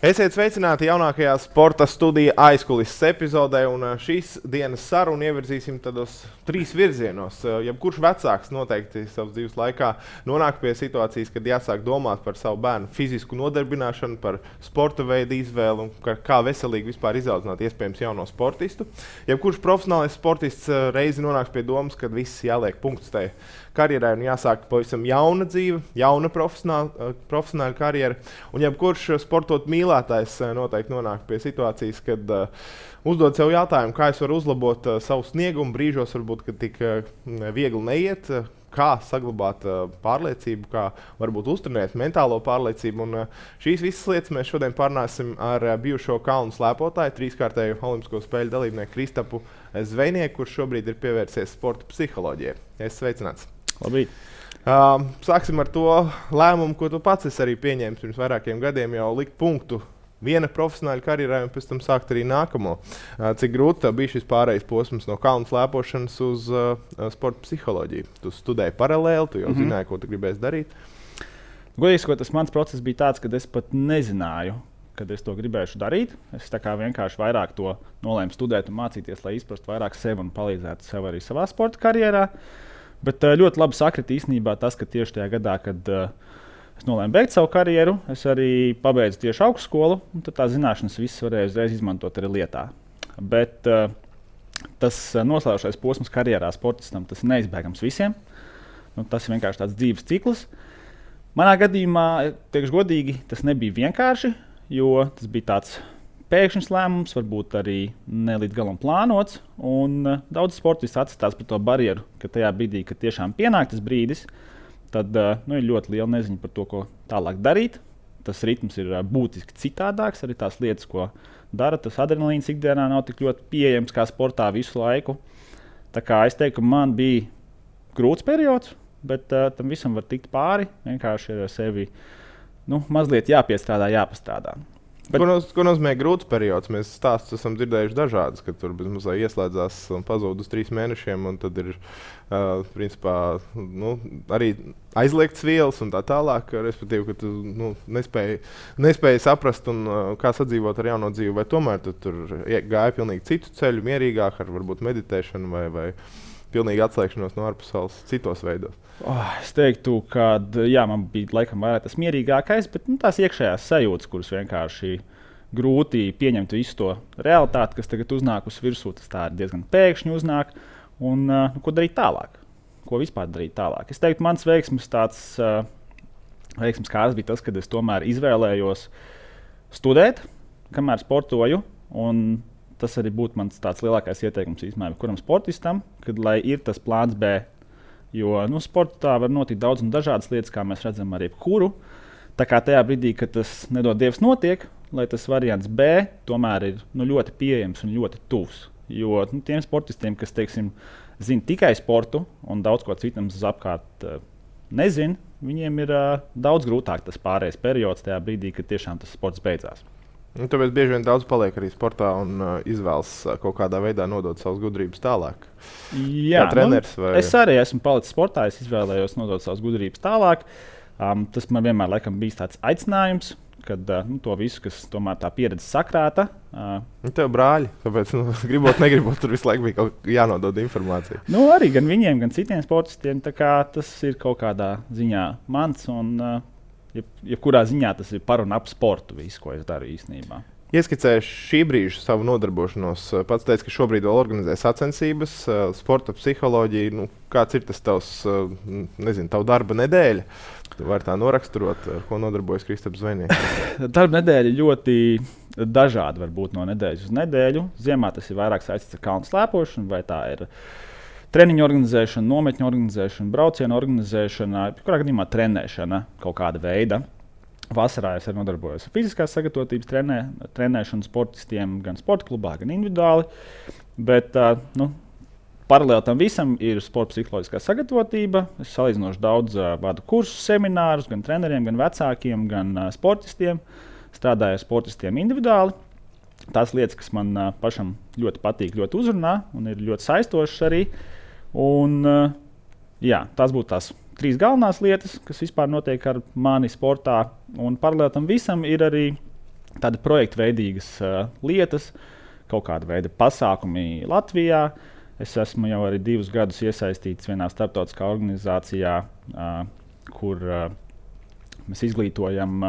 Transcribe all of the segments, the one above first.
Esiet sveicināti jaunākajā sporta studija aizkulises epizodē, un šīs dienas sarunu ievirzīsim tādos 3 virzienos. Jebkurš vecāks noteikti savas dzīves laikā nonāk pie situācijas, kad jāsāk domāt par savu bērnu fizisku nodarbināšanu, par sporta veidu izvēli un kā veselīgi vispār izaudzināt iespējams jauno sportistu. Jebkurš profesionālais sportists reizi nonāks pie domas, kad viss jāliek punkts tai karjerai un jāsāk pavisam jauna dzīve, jauna profesionāla karjera. Un jebkurš sportot mīlētājs noteikti nonāk pie situācijas, kad uzdod sev jautājumu, kā es varu uzlabot savu sniegumu brīžos, varbūt, kad tik viegli neiet, kā saglabāt pārliecību, kā varbūt uztrenēt mentālo pārliecību. Un šīs visas lietas mēs šodien parunāsim ar bijušo kalnu slēpotāju, 3-kārtēju Olimpisko spēļu dalībnieku Kristapu Zvejnieku, kurš šobrīd ir pievērsies sporta psiholoģijai. Es sveicināts. Labrīt. Sāksim ar to lēmumu, ko tu pats esi arī pieņēmis pirms vairākiem gadiem, jau likt punktu viena profesionāla karjerai un pēc tam sākt arī nākamo. Cik grūti tev bija šis pārējais posms no kalnu slēpošanas uz sporta psiholoģiju? Tu studēji paralēli, tu jau zināji, ko tu gribēsi darīt. Godīgi sakot, tas mans process bija tāds, ka es pat nezināju, kad es to gribēšu darīt. Es tā kā vienkārši vairāk to nolēmu studēt un mācīties, lai izprastu vairāk sevi un palīdzētu sev arī savā sporta karjerā. Bet ļoti labi sakrita īstenībā tas, ka tieši tajā gadā, kad es nolēmu beigt savu karjeru, es arī pabeidzu tieši augstskolu, un tad tās zināšanas visas varēju uzreiz izmantot arī lietā. Bet tas noslēdzošais posms karjerā sportistam, tas ir neizbēgams visiem. Tas ir vienkārši tāds dzīves cikls. Manā gadījumā, teikšu godīgi, tas nebija vienkārši, jo tas bija tāds pēkšņs lēmums, varbūt arī ne līdz galam plānots. Daudz sportisti atstās par to barjeru, ka tajā brīdī, kad tiešām pienāk tas brīdis, tad ir ļoti liela neziņa par to, ko tālāk darīt. Tas ritms ir būtiski citādāks, arī tās lietas, ko dara. Tas adrenalīns ikdienā nav tik ļoti pieejams kā sportā visu laiku. Tā kā es teiktu, ka man bija grūts periods, bet tam visam var tikt pāri. Vienkārši ir ar sevi mazliet jāpiestrādā, jāpastrādā. Ko nozīmē grūts periods? Mēs stāstus esam dzirdējuši dažādas, kad tur mazliet ieslēdzās un pazūd uz 3 mēnešiem, un tad ir principā, arī aizliegts vielas un tā tālāk, respektīvi, ka tu nespēji saprast, kā sadzīvot ar jauno dzīvi, vai tomēr tu tur gāja pilnīgi citu ceļu, mierīgāk ar varbūt meditēšanu vai pilnīgi atslēgšanos no ārpasaules citos veidos. Es teiktu, ka man bija laikam vairāk tas mierīgākais, bet tās iekšējās sajūtas, kuras vienkārši grūti pieņemt visu to realitāti, kas tagad uznāk uz virsū, tas tā diezgan pēkšņi uznāk. Un ko darīt tālāk? Ko vispār darīt tālāk? Es teiktu, mans veiksmes kārts bija tas, kad es tomēr izvēlējos studēt, kamēr sportoju. Un tas arī būtu mans tāds lielākais ieteikums īstenībā kuram sportistam, kad lai ir tas plāns B. Jo sportā var notikt daudz un dažādas lietas, kā mēs redzam ar jebkuru. Tā kā tajā brīdī, kad tas nedod Dievs notiek, lai tas variants B tomēr ir ļoti pieejams un ļoti tuvs. Jo tiem sportistiem, kas zina tikai sportu un daudz ko citam apkārt nezina, viņiem ir daudz grūtāk tas pārējais periods tajā brīdī, kad tiešām tas sports beidzās. Tāpēc bieži vien daudz paliek arī sportā un izvēlas kaut kādā veidā nodot savas gudrības tālāk. Jā, treneris, es arī esmu palicis sportā, es izvēlējos nodot savas gudrības tālāk. Tas man vienmēr laikam bijis tāds aicinājums, kad to visu, kas tomēr tā pieredze sakrāta. Tev brāļi, tāpēc gribot, negribot, tur visu laiku bija kaut jānodod informācija. Arī gan viņiem, gan citiem sportistiem, tā kā tas ir kaut kādā ziņā mans un jebkurā ziņā tas ir par un ap sportu, visu, ko es daru īstenībā. Ieskicēju šī brīža savu nodarbošanos. Pats teici, ka šobrīd vēl organizē sacensības, sporta psiholoģija. Kāds ir tas tavs, tavu darba nedēļa? Tu vari tā noraksturot, ar ko nodarbojas Kristaps Zvejnieks? Darba nedēļa ļoti dažāda var būt no nedēļas uz nedēļu. Ziemā tas ir vairāk saistīts ar kalnu slēpošanu, vai tā ir treniņu organizēšana, nometņu organizēšana, braucienu organizēšana, kurā gadījumā trenēšana kaut kāda veida. Vasarā es arī nodarbojos ar fiziskās sagatavotības trenēšanu sportistiem gan sporta klubā, gan individuāli. Bet paralēli tam visam ir sporta psiholoģiskā sagatavotība. Es salīdzinoši daudz vadu kursus, seminārus gan treneriem, gan vecākiem, gan sportistiem. Strādāju ar sportistiem individuāli. Tās lietas, kas man pašam ļoti patīk, ļoti uzrunā un ir ļoti saistošas arī. Tās būtu tās 3 galvenās lietas, kas vispār notiek ar mani sportā. Un paralēli tam visam ir arī tādi projektveidīgas lietas, kaut kāda veida pasākumi Latvijā. Es esmu jau arī 2 gadus iesaistīts vienā starptautiskā organizācijā, kur mēs izglītojam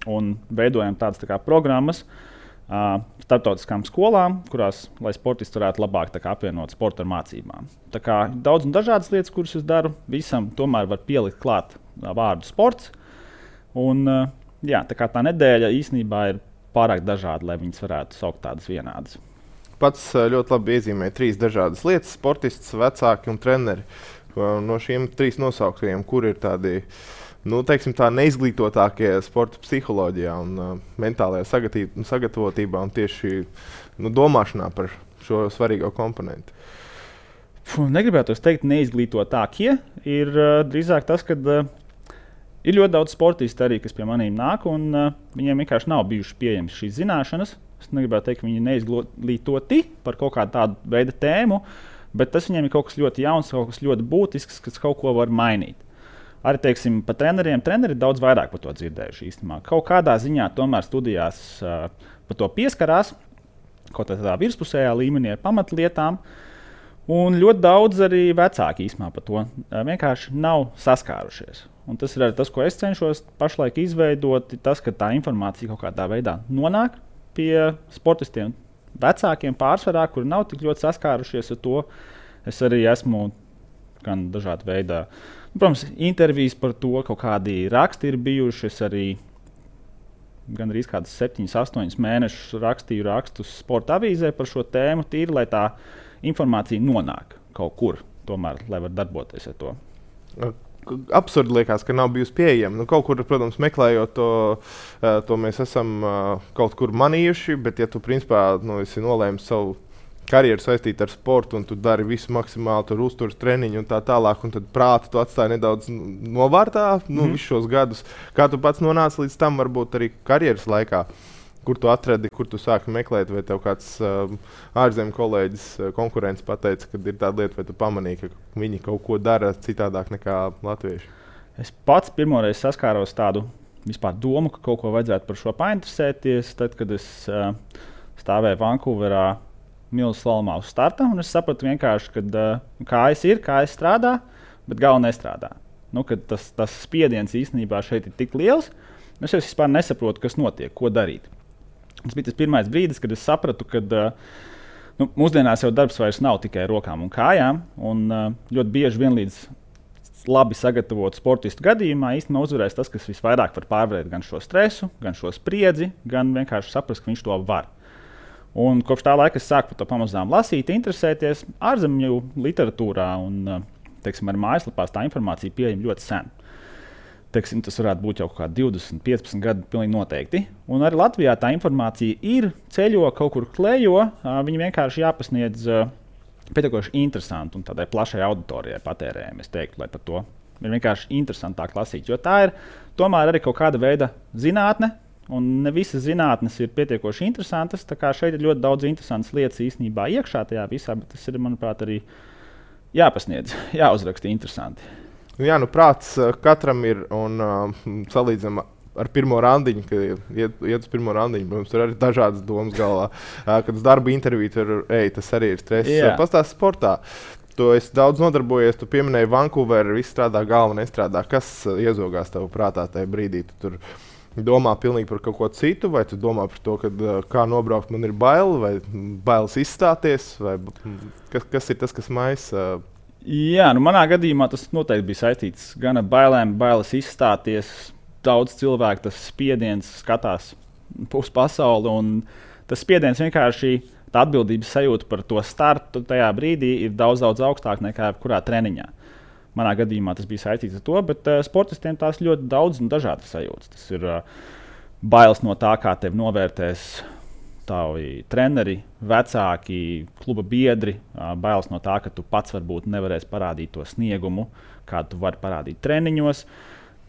un veidojam tādas programmas starptautiskām skolām, kurās, lai sportisti varētu labāk apvienot sportu ar mācībām. Tā kā daudz un dažādas lietas, kuras es daru, visam tomēr var pielikt klāt vārdu sports. Un, tā kā tā nedēļa īstenībā ir pārāk dažāda, lai viņas varētu saukt tādas vienādas. Pats ļoti labi iezīmēja 3 dažādas lietas - sportists, vecāki un treneri. No šiem 3 nosauktiem, kur ir tādi teiksim, tā neizglītotākie sporta psiholoģijā un mentālajā sagatavotībā un tieši domāšanā par šo svarīgo komponentu? Negribētu teikt, neizglītotākie. Ir drīzāk tas, ka ir ļoti daudz sportistu arī, kas pie maniem nāk, un viņiem vienkārši nav bijušas pieejamas šīs zināšanas. Es negribētu teikt, ka viņi ir neizglītoti par kaut kādu tādu veidu tēmu, bet tas viņiem ir kaut kas ļoti jauns, kaut kas ļoti būtisks, kas kaut ko var mainīt. Arī, teiksim, par treneriem. Treneri daudz vairāk par to dzirdējuši īstenībā. Kaut kādā ziņā tomēr studijās par to pieskarās, kaut tādā virspusējā līmenī ar pamatlietām. Un ļoti daudz arī vecāki īstenībā par to vienkārši nav saskārušies. Un tas ir arī tas, ko es cenšos pašlaik izveidot, tas, ka tā informācija kaut kādā veidā nonāk pie sportistiem, vecākiem pārsvarā, kuri nav tik ļoti saskārušies ar to. Es arī esmu gan dažādi veidi. Protams, intervijas par to, kaut kādi raksti ir bijuši. Es arī gandrīz 7, 8 mēnešus rakstīju rakstus sporta avīzē par šo tēmu, tīri, lai tā informācija nonāk kaut kur, tomēr, lai var darboties ar to. Absurdi liekas, ka nav bijusi pieejama. Kaut kur, protams, meklējot to mēs esam kaut kur manījuši, bet ja tu principā esi nolēmis savu karjeru saistīta ar sportu, un tu dari visu maksimāli, tur uzturas treniņu un tā tālāk, un tad prātu tu atstāji nedaudz novārtā visus šos gadus. Kā tu pats nonāci līdz tam, varbūt arī karjeras laikā, kur tu atradi, kur tu sāki meklēt, vai tev kāds ārzemju kolēģis, konkurents pateica, ka ir tāda lieta, vai tu pamanīji, ka viņi kaut ko dara citādāk nekā latvieši? Es pats pirmoreiz saskāros tādu vispār domu, ka kaut ko vajadzētu par šo painteresēties, tad, kad es stāvēju Vankūverā milzu slalomā uz starta, un es sapratu vienkārši, ka kājas ir, kājas strādā, bet galva nestrādā. Tas spiediens īstenībā šeit ir tik liels, es vispār nesaprotu, kas notiek, ko darīt. Tas bija tas pirmais brīdis, kad es sapratu, ka mūsdienās jau darbs vairs nav tikai rokām un kājām, un ļoti bieži vienlīdz labi sagatavotu sportistu gadījumā īstenībā uzvarēs tas, kas visvairāk var pārvarēt gan šo stresu, gan šo spriedzi, gan vienkārši saprast, ka viņš to var. Un kopš tā laika es sāku par to pamazām lasīt, interesēties ārzemju literatūrā un, teiksim, arī mājaslapās tā informācija pieejama ļoti sen. Teiksim, tas varētu būt jau kaut kādi 20, 15 gadi pilnīgi noteikti. Un arī Latvijā tā informācija ir, ceļo, kaut kur klejo, viņi vienkārši jāpasniedz pietiekoši interesanti un tādai plašai auditorijai patērējami, es teiktu, lai par to ir vienkārši interesantāk lasīt, jo tā ir tomēr arī kaut kāda veida zinātne, un ne visas zinātnes ir pietiekoši interesantas. Tā kā šeit ir ļoti daudz interesantas lietas īstenībā iekšā tajā visā, bet tas ir, manuprāt, arī jāpasniedz, jāuzraksta interesanti. Jā, prāts katram ir un salīdzinām ar pirmo randiņu, kad iet uz pirmo randiņu. Mums ir arī dažādas domas galvā. Kad uz darba interviju tur tas arī ir stress. Pastāsti sportā. Tu esi daudz nodarbojies, tu pieminēji Vankūveru, viss strādā, galva nestrādā. Kas iezogās tev prātā tajā brīdī? Tu tur domā pilnīgi par kaut ko citu, vai tu domā par to, kā nobraukt man ir bail, vai bailes izstāties, vai kas ir tas, kas maisa? Jā, manā gadījumā tas noteikti bija saistīts gan ar bailēm, bailes izstāties. Daudz cilvēku tas spiediens skatās uz pasauli, un tas spiediens vienkārši tā atbildības sajūta par to startu tajā brīdī ir daudz augstāk nekā kurā treniņā. Manā gadījumā tas bija saistīts ar to, bet sportistiem tās ļoti daudz un dažādas sajūtas. Tas ir bailes no tā, kā tevi novērtēs tavi treneri, vecāki, kluba biedri, bailes no tā, ka tu pats varbūt nevarēsi parādīt to sniegumu, kādu tu vari parādīt treniņos.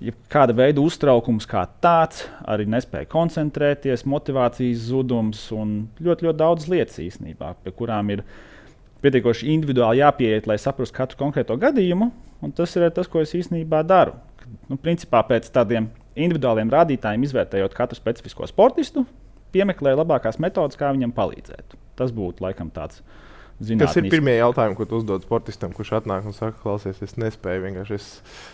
Ja kāda veida uztraukums kā tāds, arī nespēja koncentrēties, motivācijas zudums un ļoti, ļoti daudz lietas īstenībā, pie kurām ir pietiekoši individuāli jāpieiet, lai saprastu katru konkrēto gadījumu. Un tas ir tas, ko es īstenībā daru. Principā pēc tādiem individuāliem rādītājiem izvērtējot katru specifisko sportistu, piemeklē labākās metodes, kā viņam palīdzēt. Tas būtu laikam tāds zinātnisks. Kas ir pirmie jautājumi, ko tu uzdod sportistam, kurš atnāk un saka, klausies, es nespēju vienkārši. Es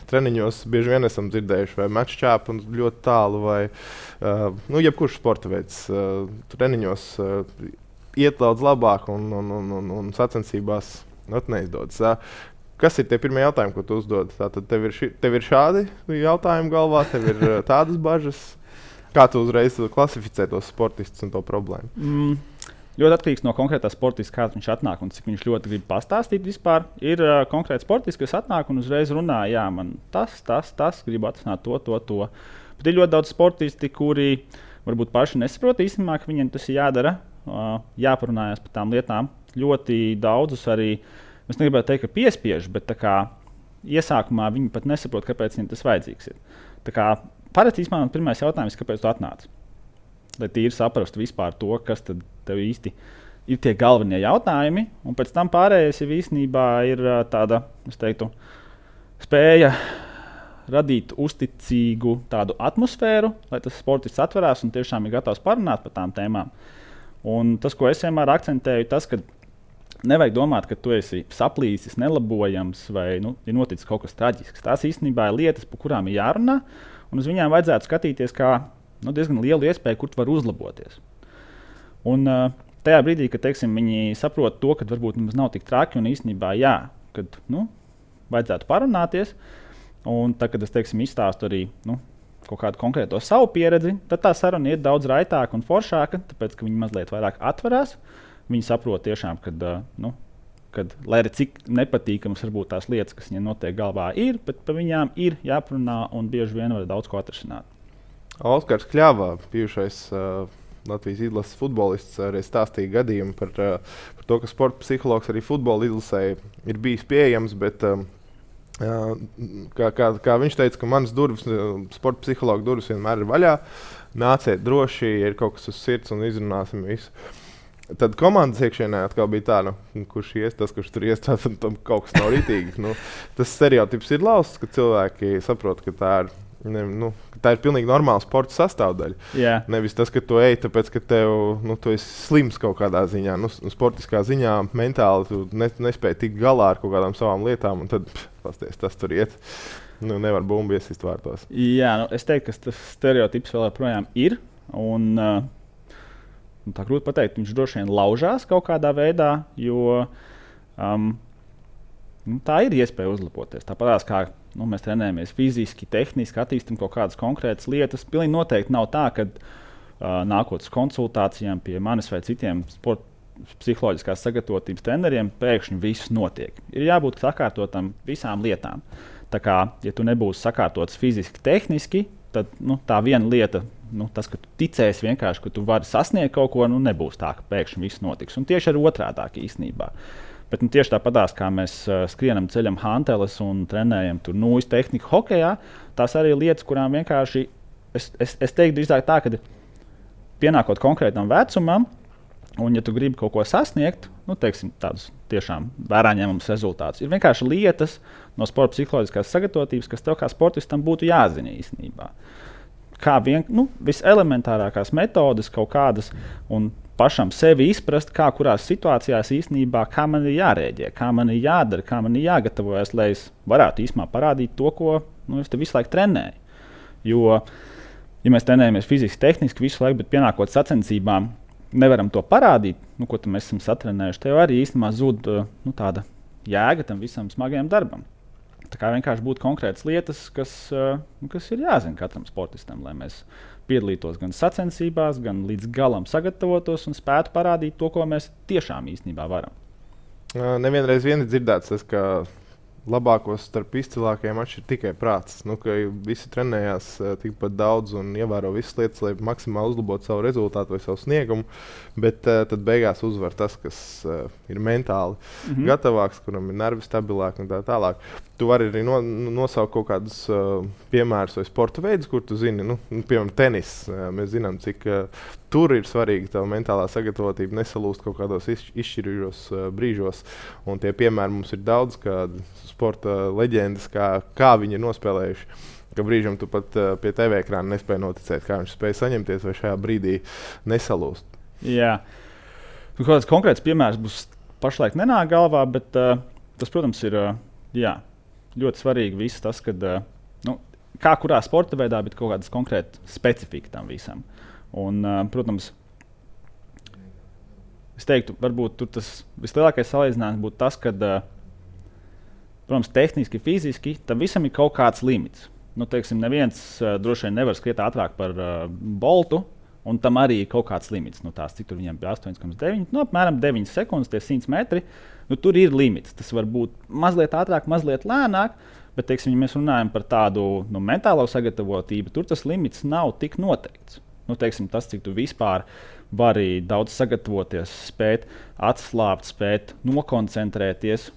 treniņos bieži vien esam dzirdējuši, vai meču ķēpu un ļoti tālu, vai jebkurš sporta veids treniņos iet daudz labāk un sacensībās neizdodas. Kas ir tie pirmie jautājumi, ko tu uzdod? Tātad tev ir šādi jautājumi galvā, tev ir tādas bažas. Kā tu uzreiz klasificē tos sportistus un to problēmu? Ļoti atkarīgs no konkrētā sportista, kāds viņš atnāk un cik viņš ļoti grib pastāstīt vispār. Ir konkrēts sportists, kas atnāk un uzreiz runā, jā, man tas, gribu atrisināt to. Bet ir ļoti daudz sportisti, kuri varbūt paši nesaprot īstenībā, ka viņiem tas ir jādara, jāparunājas par tām lietām. Ļoti daudzus arī, es negribētu teikt, ka piespiež, bet tā kā iesākumā viņi pat nesaprot, kāpēc viņiem tas vajadzīgs ir. Tā kā parasti man pirmais jautājums, kāpēc tu atnāc? Lai tīri saprastu vispār to, kas tad tev īsti ir tie galvenie jautājumi, un pēc tam pārējais jau īstenībā ir tāda, es teiktu, spēja radīt uzticīgu tādu atmosfēru, lai tas sportists atverās un tiešām ir gatavs parunāt par tām tēmām. Un tas, ko es vienmēr akcentēju, tas, ka nevajag domāt, ka tu esi saplīsis, nelabojams vai ir noticis kaut kas traģisks. Tās īstenībā ir lietas, par kurām ir jārunā, un uz viņām vajadzētu skatīties kā diezgan lielu iespēju, kur tu vari uzlaboties. Un tajā brīdī, kad viņi saprot to, ka varbūt mums nav tik traki un īstenībā kad vajadzētu parunāties, un tad, kad es izstāstu arī kaut kādu konkrēto savu pieredzi, tad tā saruna iet daudz raitāk un foršāka, tāpēc, ka viņi mazliet vairāk atverās. Viņi saprot tiešām, kad lai arī cik nepatīkamas varbūt tās lietas, kas viņiem notiek galvā ir, bet par viņām ir jāparunā un bieži vien var daudz ko atrisināt. Oskars Kļava, bijušais Latvijas izlases futbolists, arī stāstīja gadījumu par to, ka sporta psihologs arī futbola izlasē ir bijis pieejams, bet kā viņš teica, ka manas durvis, sporta psihologa durvis vienmēr ir vaļā, nāciet droši, ja ir kaut kas uz sirds un izrunāsim visu. Tad komandas iekšienē atkal bija tā, kurš ies, tas, kurš tur ies, tam kaut kas nav rītīgi. Tas stereotips ir lausts, ka cilvēki saprot, ka tā ir pilnīgi normāla sporta sastāvdaļa. Yeah. Nevis tas, ka tu ej, tāpēc, ka tu esi slims kaut kādā ziņā. Sportiskā ziņā mentāli tu nespēji tikt galā ar kaut kādām savām lietām, un tad pasties, tas tur iet. Nevar bumbu iesist vārtos. Jā, es teiktu, ka tas stereotips vēl joprojām ir. Tā grūti pateikt, viņš droši vien laužās kaut kādā veidā, jo tā ir iespēja uzlaboties. Tāpat kā mēs trenējamies fiziski, tehniski, attīstam kaut kādas konkrētas lietas. Pilnīgi noteikti nav tā, ka nākot uz konsultācijām pie manis vai citiem sporta psiholoģiskās sagatavotības treneriem, pēkšņi viss notiek. Ir jābūt sakārtotam visām lietām. Tā kā, ja tu nebūsi sakārtots fiziski, tehniski, tad tā viena lieta, tas, ka tu ticēsi vienkārši, ka tu vari sasniegt kaut ko, nebūs tā, ka pēkšņi viss notiks. Un tieši ar otrādāk īstenībā. Bet tieši tāpatās, kā mēs skrienam, ceļam hanteles un trenējam tur nūjas tehniku hokejā, tās arī lietas, kurām vienkārši, es teiktu drīzāk tā, ka pienākot konkrētam vecumam, un ja tu gribi kaut ko sasniegt, tādus tiešām vērā ņemams rezultātus, ir vienkārši lietas no sporta psiholoģiskās sagatavotības, kas tev kā sportistam būtu jāzina īstenībā. Kā viselementārākās metodes kaut kādas un pašam sevi izprast, kā kurās situācijās īstenībā, kā man ir jārēģē, kā man ir jādara, kā man ir jāgatavojas, lai es varētu īstenībā parādīt to, ko es te visu laiku trenēju. Jo, ja mēs trenējamies fiziski, tehniski visu laiku, bet pienākot sacensībām, nevaram to parādīt, ko mēs esam satrenējuši, tev arī īstenībā zūd tāda jēga tam visam smagajam darbam. Tā kā vienkārši būtu konkrētas lietas, kas ir jāzina katram sportistam, lai mēs piedalītos gan sacensībās, gan līdz galam sagatavotos un spētu parādīt to, ko mēs tiešām īstenībā varam. Nevienreiz vien ir dzirdēts tas, ka labākos starp izcilākajiem atšķir tikai prāts. Ka visi trenējās tikpat daudz un ievēro visas lietas, lai maksimāli uzlabotu savu rezultātu vai savu sniegumu, bet tad beigās uzvar tas, kas ir mentāli gatavāks, kuram ir nervi stabilāki un tā tālāk. Tu vari arī nosaukt kaut kādus piemērus vai sporta veidus, kur tu zini, piemēram, tenis. Mēs zinām, cik tur ir svarīga tā mentālā sagatavotība, nesalūst kaut kādos izšķirīgos brīžos. Un tie piemēri mums ir daudz, kādi sporta leģendas, kā viņi ir nospēlējuši ka brīžam tu pat pie TV ekrāna nespēji noticēt, kā viņš spēja saņemties vai šajā brīdī nesalūst. Jā, kaut kāds konkrēts piemērs būs pašlaik nenāk galvā, bet tas, protams, ir ļoti svarīgi viss tas, kad kā kurā sporta veidā, bet kaut kādas konkrētas specifika tam visam. Un, protams, es teiktu, varbūt tur tas vislielākais salīdzinājums būtu tas, ka, protams, tehniski, fiziski tam visam ir kaut kāds limits. Teiksim, neviens droši vien nevar skriet ātrāk par Boltu, un tam arī ir kaut kāds limits. Cik tur viņiem bija 8,9, apmēram 9 sekundes, tie 100 metri. Tur ir limits. Tas var būt mazliet ātrāk, mazliet lēnāk, bet, teiksim, ja mēs runājam par tādu mentālo sagatavotību, tur tas limits nav tik noteikts. Teiksim, tas, cik tu vispār vari daudz sagatavoties, spēt atslābt, spēt nokoncentrēties.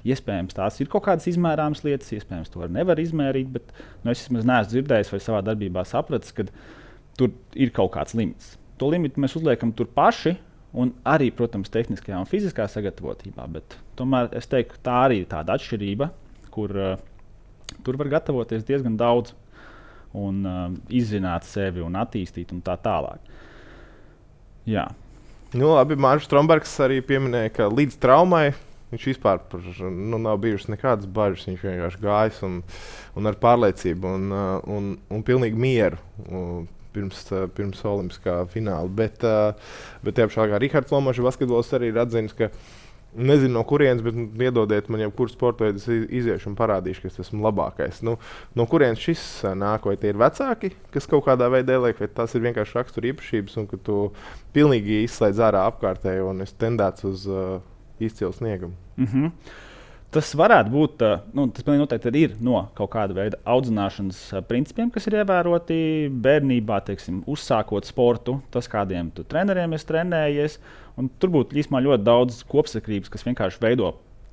Iespējams, tās ir kaut kādas izmērāmas lietas, iespējams, to nevar izmērīt, bet es vismaz neesmu dzirdējis vai savā darbībā sapratis, ka tur ir kaut kāds limits. To limitu mēs uzliekam tur paši, un arī, protams, tehniskajā un fiziskā sagatavotībā, bet tomēr es teiktu, tā arī ir tāda atšķirība, kur tur var gatavoties diezgan daudz un izzināt sevi un attīstīt un tā tālāk. Jā. Labi, Mārcis Strombergs arī pieminēja, ka līdz traumai viņš vispār nav bijušas nekādas bažas. Viņš vienkārši gājis un ar pārliecību un pilnīgi mieru pirms olimpiskā fināla. Bet tiešām kā Rihards Lomačs, basketbols arī ir atzinis, ka nezinu no kurienes, bet iedodiet man jebkuru sporta veidu, iziešu un parādīšu, ka es esmu labākais. No kurienes šis nāk? Vai tie ir vecāki, kas kaut kādā veidā ieliek, vai tas ir vienkārši rakstura īpašības un ka tu pilnīgi izslēdz ārā apkārtējo un esi tendēts uz izcilu sniegumu? Tas varētu būt, tas noteikti ir no kaut kāda veida audzināšanas principiem, kas ir ievēroti bērnībā, teiksim, uzsākot sportu, tas, kādiem tu treneriem esi trenējies. Tur būtu īstenībā ļoti daudz kopsakrības, kas vienkārši veido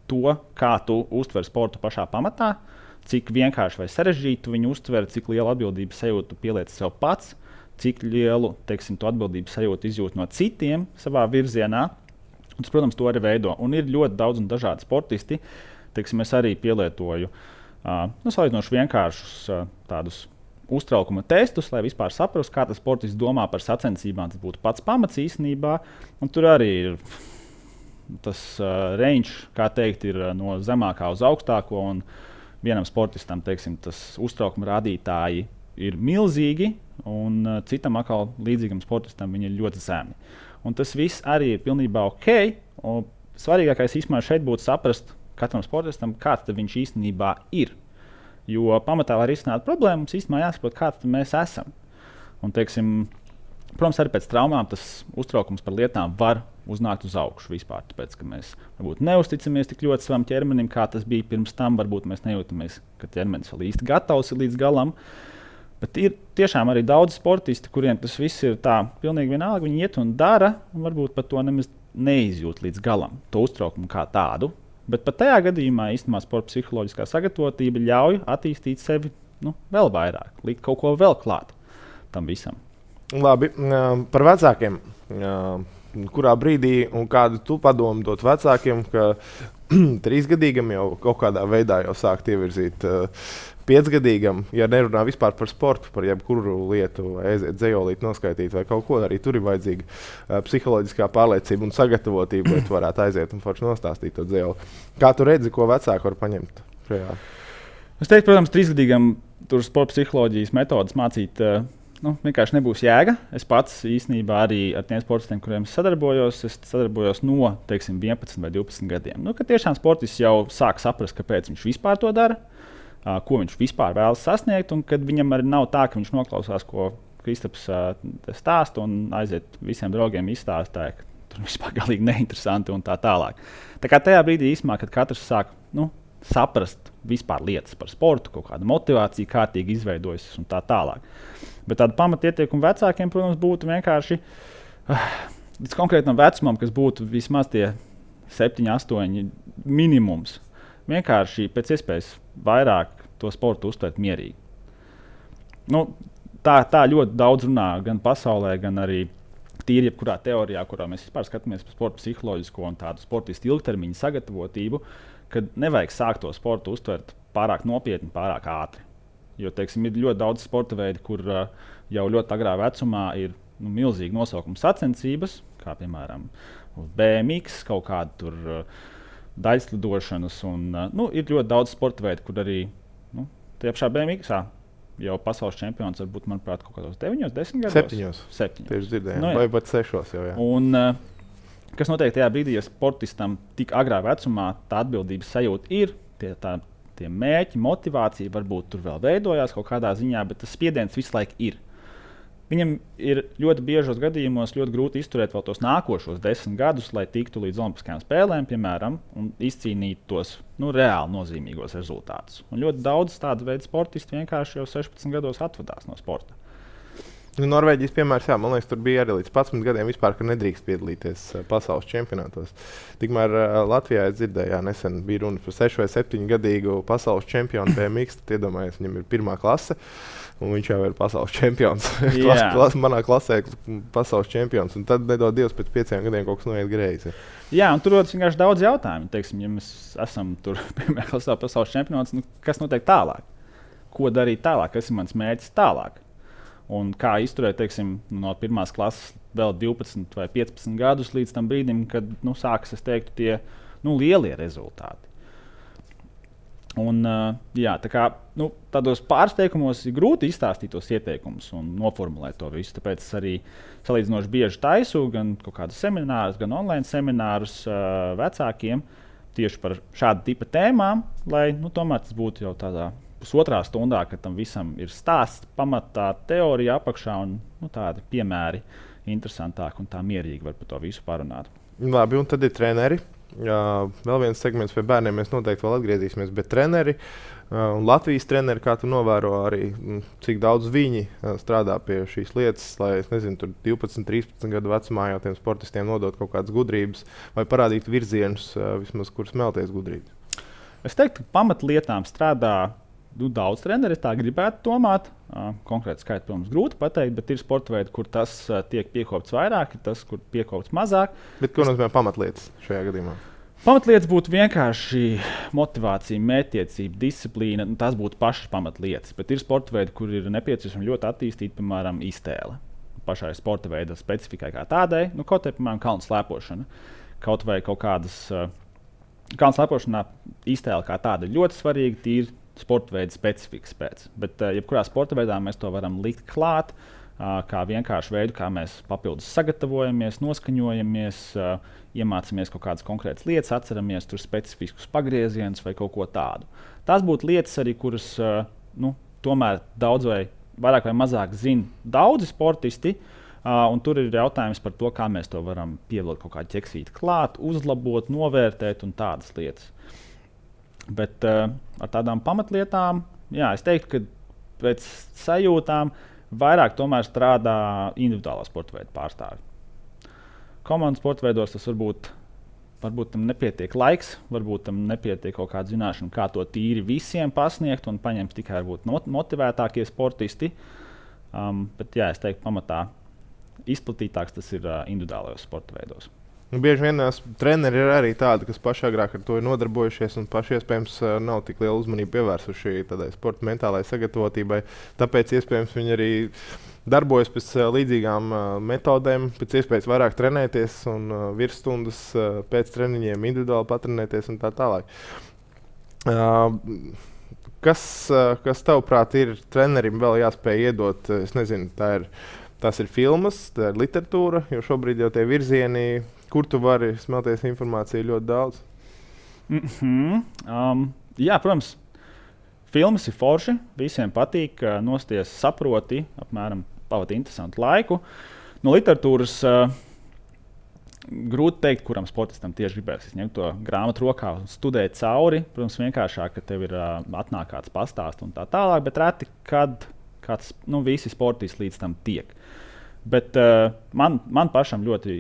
to, kā tu uztver sportu pašā pamatā, cik vienkārši vai sarežģītu viņu uztver, cik lielu atbildības sajūtu pieliec sev pats, cik lielu, teiksim, tu atbildības sajūtu izjūt no citiem savā virzienā. Un tas, protams, to arī veido. Un ir ļoti daudz un dažādi sportisti. Teiksim, es arī pielietoju salīdzinoši vienkāršus tādus uztraukuma testus, lai vispār saprastu, kā tas sportists domā par sacensībām. Tas būtu pats pamats īstenībā. Un tur arī ir tas range, kā teikt, ir no zemākā uz augstāko. Un vienam sportistam, teiksim, tas uztraukuma rādītāji ir milzīgi, un citam atkal līdzīgam sportistam viņi ir ļoti zemi. Un tas viss arī ir pilnībā ok. Un svarīgākais īstenībā šeit būtu saprast katram sportistam, kāds viņš īstenībā ir. Jo pamatā, lai risinātu problēmu, mums īstenībā jāsaprot, kāds mēs esam. Un, teiksim, protams, arī pēc traumām tas uztraukums par lietām var uznākt uz augšu vispār. Tāpēc, ka mēs varbūt neusticamies tik ļoti savam ķermenim, kā tas bija pirms tam. Varbūt mēs nejūtamies, ka ķermenis vēl īsti gatavs ir līdz galam. Bet ir tiešām arī daudz sportisti, kuriem tas viss ir tā pilnīgi vienalga. Viņi iet un dara, un varbūt pat to nemaz neizjūt līdz galam, to uztraukumu kā tādu. Bet pat tajā gadījumā īstenībā sporta psiholoģiskā sagatavotība ļauj attīstīt sevi vēl vairāk, likt kaut ko vēl klāt tam visam. Labi, par vecākiem. Kurā brīdī un kādu tu padomu dot vecākiem, ka 3-gadīgam jau kaut kādā veidā jau sākt ievirzīt 5-gadīgam, ja nerunā vispār par sportu, par jebkuru lietu, vai aiziet dzejolīt, noskaitīt vai kaut ko, arī tur ir vajadzīga psiholoģiskā pārliecība un sagatavotība, lai tu varētu aiziet un forši nostāstīt to dzejoli. Kā tu redzi, ko vecāki var paņemt šajā? Es teiktu, protams, 3-gadīgam tur sporta psiholoģijas metodas mācīt vienkārši nebūs jēga. Es pats īstenībā arī ar tiem sportistiem, kuriem es sadarbojos no, teiksim, 11 vai 12 gadiem. Kad tiešām sportists jau sāk saprast, kāpēc viņš vispār to dara, ko viņš vispār vēlas sasniegt, un kad viņam arī nav tā, ka viņš noklausās, ko Kristaps stāsta un aiziet visiem draugiem izstāstāja, ka tur vispār galīgi neinteresanti un tā tālāk. Tā kā tajā brīdī īstenībā, kad katrs sāk saprast vispār lietas par sportu, kaut kāda motivācija kārtīgi izveidojas un tā tālāk. Bet tāda pamatietiekuma vecākiem, protams, būtu vienkārši līdz konkrētam vecumam, kas būtu vismaz tie 7, 8 minimums. Vienkārši pēc iespējas vairāk to sportu uztvert mierīgi. Tā ļoti daudz runā gan pasaulē, gan arī tīri jebkurā teorijā, kurā mēs vispār skatāmies par sporta psiholoģisko un tādu sportistu ilgtermiņa sagatavotību, kad nevajag sākt to sportu uztvert pārāk nopietni, pārāk ātri. Jo, teiksim, ir ļoti daudz sporta veidu, kur jau ļoti agrā vecumā ir milzīgi nosaukuma sacensības, kā piemēram BMX, kaut kāda tur daļslidošanas. Ir ļoti daudz sporta veidu, kur arī tie pašā BMX jau pasaules čempions var būt, manuprāt, kaut kādos 9, 10 gados. 7. Tieši dzirdējām, vai pat 6 jau. Jā. Un, kas notiek tajā brīdī, ja sportistam tik agrā vecumā tā atbildības sajūta ir, tie mērķi, motivācija varbūt tur vēl veidojās kaut kādā ziņā, bet tas spiediens visu laiku ir. Viņam ir ļoti biežos gadījumos ļoti grūti izturēt vēl tos nākošos 10 gadus, lai tiktu līdz Olimpiskajām spēlēm, piemēram, un izcīnītu tos reāli nozīmīgos rezultātus. Un ļoti daudz tādu veidu sportisti vienkārši jau 16 gados atvadās no sporta. Norvēģijas piemērs, jā, man liekas, tur bija arī līdz 11 gadiem vispār, ka nedrīkst piedalīties pasaules čempionātos. Tikmēr Latvijā es dzirdēju, nesen bija runa par 6 vai 7 gadīgu pasaules čempionu BMX, tad iedomājies, viņam ir 1. klase, un viņš jau ir pasaules čempions. Manā klasē pasaules čempions, un tad nedod Dievs pēc 5 gadiem kaut kas noiet greizi. Jā, un tur rodas vienkārši daudz jautājumu. Teiksim, ja mēs esam tur, piemēram, klasē pasaules čempions, kas notiek tālāk? Ko darīt tālāk? Kas ir mans mērķis tālāk? Un kā izturēt, teiksim, no 1. klases vēl 12 vai 15 gadus līdz tam brīdim, kad sākas, es teiktu, tie lielie rezultāti. Un, jā, tādos pārsteikumos ir grūti izstāstīt tos ieteikumus un noformulēt to visu. Tāpēc es arī salīdzinoši bieži taisu gan kaut kādus seminārus, gan online seminārus vecākiem tieši par šādu tipu tēmām, lai tomēr tas būtu jau tādā pusotrā stundā, kad tam visam ir stāsts, pamatā teorija apakšā un tādi piemēri interesantāki un tā mierīgi var par to visu parunāt. Labi, un tad ir treneri. Vēl viens segments pie bērniem mēs noteikti vēl atgriezīsimies, bet treneri un Latvijas treneri, kā tu novēro arī, cik daudz viņi strādā pie šīs lietas, lai, es nezinu, tur 12, 13 gadu vecumā jau tiem sportistiem nodot kaut kādas gudrības vai parādīt virzienus, vismaz, kur smelties gudrības. Es teiktu, ka pamatlietām strādā daudz treneri, tā gribētu domāt. Konkrēti skaitu, protams, grūti pateikt, bet ir sporta veidi, kur tas tiek piekopts vairāk, ir tas, kur piekopts mazāk. Bet ko nozīmē pamatlietas šajā gadījumā? Pamatlietas būtu vienkārši motivācija, mērķtiecība, disciplīna. Tās būtu pašas pamatlietas, bet ir sporta veidi, kur ir nepieciešama ļoti attīstīta, piemēram, iztēle. Pašai sporta veida specifikai kā tādai, kaut vai, piemēram, kalnu slēpošana, kaut vai kaut kādas kalnu slēpošanā iztēle kā tāda ļoti svarīga, tīri sporta veida specifikas pēc. Bet, jebkurā sporta veidā mēs to varam likt klāt, kā vienkārši veidu, kā mēs papildus sagatavojamies, noskaņojamies, iemācāmies kaut kādas konkrētas lietas, atceramies tur specifiskus pagriezienus vai kaut ko tādu. Tās būtu lietas arī, kuras tomēr daudz vai vairāk vai mazāk zina daudzi sportisti, un tur ir jautājums par to, kā mēs to varam pievilkt kaut kādu ķeksīti klāt, uzlabot, novērtēt un tādas lietas. Bet ar tādām pamatlietām, jā, es teiktu, ka pēc sajūtām vairāk tomēr strādā individuālā sporta veida pārstāvji. Komandas sporta veidos tas varbūt tam nepietiek laiks, varbūt tam nepietiek kaut kāda zināšana, kā to tīri visiem pasniegt un paņemt tikai varbūt motivētākie sportisti. Bet jā, es teiktu, pamatā izplatītāks tas ir individuālajos sporta veidos. Bieži vien treneri ir arī tādi, kas paši agrāk ar to ir nodarbojušies un paši iespējams nav tik lielu uzmanību pievērsuši tādai sporta mentālai sagatavotībai. Tāpēc iespējams viņi arī darbojas pēc līdzīgām metodēm, pēc iespējas vairāk trenēties un virsstundas pēc treniņiem individuāli patrenēties un tā tālāk. Kas tavuprāt ir trenerim vēl jāspēj iedot? Es nezinu, tās ir filmas, tā ir literatūra, jo šobrīd jau tie virzieni, kur tu vari smelties informāciju ļoti daudz? Jā, protams, filmas ir forši, visiem patīk, nosties saproti, apmēram pavadi interesantu laiku. No literatūras grūti teikt, kuram sportistam tieši gribēs ņemt to grāmatu rokā un studēt cauri. Protams, vienkāršāk, ka tev ir atnāk kāds pastāst un tā tālāk, bet reti, kad kāds, visi sportisti līdz tam tiek. Bet man pašam ļoti,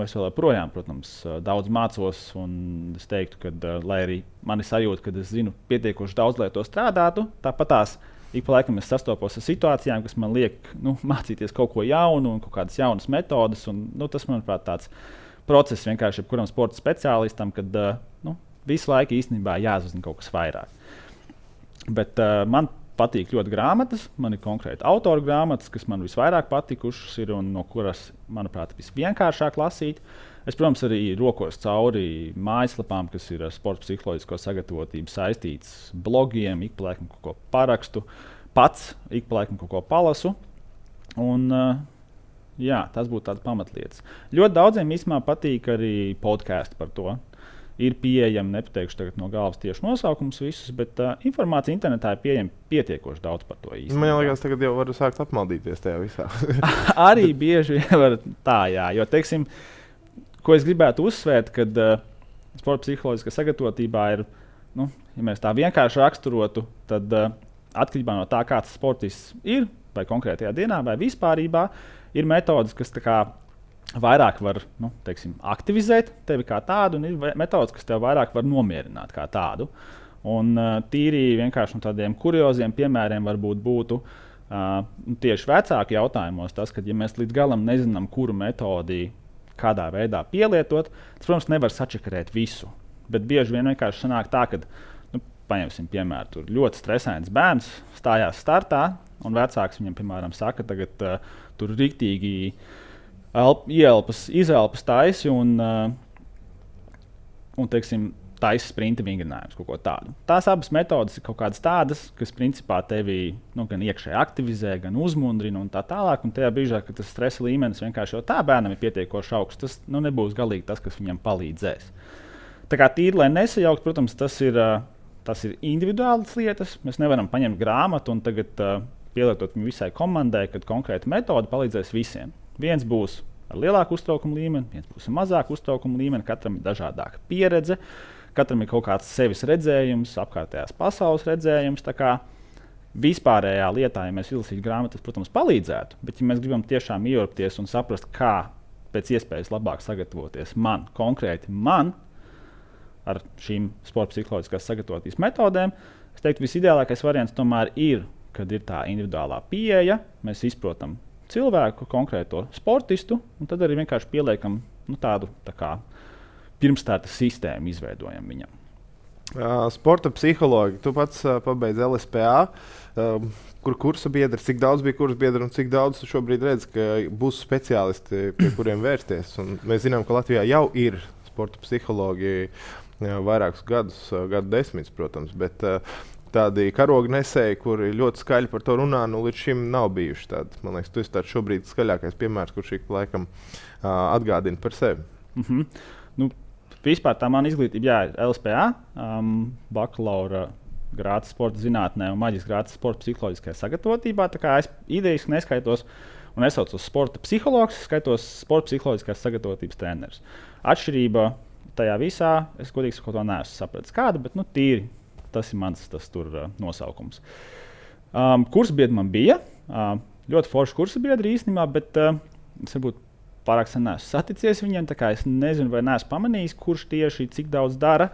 es vēl joprojām, protams, daudz mācos, un es teiktu, ka, lai arī man ir sajūta, ka es zinu pietiekoši daudz, lai to strādātu, tāpatās ik pa laikam es sastopos ar situācijām, kas man liek mācīties kaut ko jaunu un kaut kādas jaunas metodas, un tas, manuprāt, tāds process vienkārši jebkuram sporta speciālistam, kad visu laiku īstenībā jāzina kaut kas vairāk. Bet man patīk ļoti grāmatas. Man ir konkrēti autora grāmatas, kas man visvairāk patikušas ir un no kuras, manuprāt, visvienkāršāk lasīt. Es, protams, arī rokos cauri mājaslapām, kas ir ar sporta psiholoģisko sagatavotību saistītas, blogiem, ik pa laikam kaut ko parakstu, pats ik pa laikam kaut ko palasu. Un, jā, tas būtu tāds pamatlietas. Ļoti daudziem īstenībā patīk arī podkāsti par to. Ir pieejami, nepateikšu tagad no galvas tieši nosaukums visus, bet informācija internetā ir pieejama pietiekoši daudz par to īstenībā. Man liekas, tagad jau varu sākt apmaldīties tajā visā. Arī bieži var tā, jā. Jo, teiksim, ko es gribētu uzsvērt, kad sporta psiholoģiskā sagatavotībā ir, nu, ja mēs tā vienkārši raksturotu, tad atkarībā no tā, kāds sportists ir, vai konkrētajā dienā, vai vispārībā, ir metodes, kas tā kā vairāk var, nu, teiksim, aktivizēt tevi kā tādu, un ir metodes, kas tev vairāk var nomierināt kā tādu. Un tīri vienkārši no tādiem kurioziem piemēriem varbūt būtu tieši vecāku jautājumos tas, ka, ja mēs līdz galam nezinām, kuru metodi kādā veidā pielietot, tas, protams, nevar sačakarēt visu. Bet bieži vien vienkārši sanāk tā, ka, nu, paņemsim piemēru, tur ļoti stresains bērns stājās startā, un vecāks viņam, piemēram, saka, tagad tur riktīgi ielpas taisi un teiksim, taisa sprinta vingrinājumus, kaut ko tādu. Tās abas metodes ir kaut kādas tādas, kas principā tevi gan iekšēji aktivizē, gan uzmundrina un tā tālāk. Un tajā brīdī, kad tas stresa līmenis vienkārši jau tā bērnam ir pietiekoši augsts, tas nebūs galīgi tas, kas viņam palīdzēs. Tā kā tīri, lai nesajaukt, protams, tas ir individuālas lietas. Mēs nevaram paņemt grāmatu un tagad pielietot viņu visai komandai, kad konkrēta metode palīdzēs visiem. Viens būs ar lielāku uztraukumu līmeni, viens būs ar mazāku uztraukumu līmeni, katram ir dažādāka pieredze, katram ir kaut kāds sevis redzējums, apkārtējās pasaules redzējums. Tā kā vispārējā lietā, ja mēs izlasītu grāmatas, protams, palīdzētu, bet ja mēs gribam tiešām ieurpties un saprast, kā pēc iespējas labāk sagatavoties konkrēti man ar šīm sporta psiholoģiskās sagatavotības metodēm, es teiktu, visideālākais variants tomēr ir, kad ir tā individuālā pieeja, mēs izprotam cilvēku, konkrēto sportistu, un tad arī vienkārši pieliekam tādu tā kā pirmstarta sistēmu, izveidojam viņam. Sporta psihologi, tu pats pabeidzi LSPA, kur kursa biedri, cik daudz bija kursa biedri un cik daudz tu šobrīd redz, ka būs speciālisti, pie kuriem vērsties. Un mēs zinām, ka Latvijā jau ir sporta psihologi vairākus gadus, gadu desmitus, protams, bet tādi karoga nesēji, kuri ļoti skaļi par to runā, līdz šim nav bijuši tādi. Man liekas, tu esi tāds šobrīd skaļākais piemērs, kurš ik pa laikam atgādina par sevi. Nu, vispār tā mana izglītība, jā, ir LSPA, bakalaura grāds sporta zinātnē un maģistra grāds sporta psiholoģiskajā sagatavotībā. Tā kā es idejiski neskaitos un nesaucos sporta psihologs, skaitos sporta psiholoģiskās sagatavotības treneris. Atšķirība tajā visā, es godīgi sakot, to neesmu sapratis kāda, bet tīri. Tas ir mans nosaukums. Kursabiedri man bija. Ļoti forši kursabiedri īstenībā, bet es varbūt pārāk sen neesmu saticies viņiem. Es nezinu, vai neesmu pamanījis, kurš tieši cik daudz dara.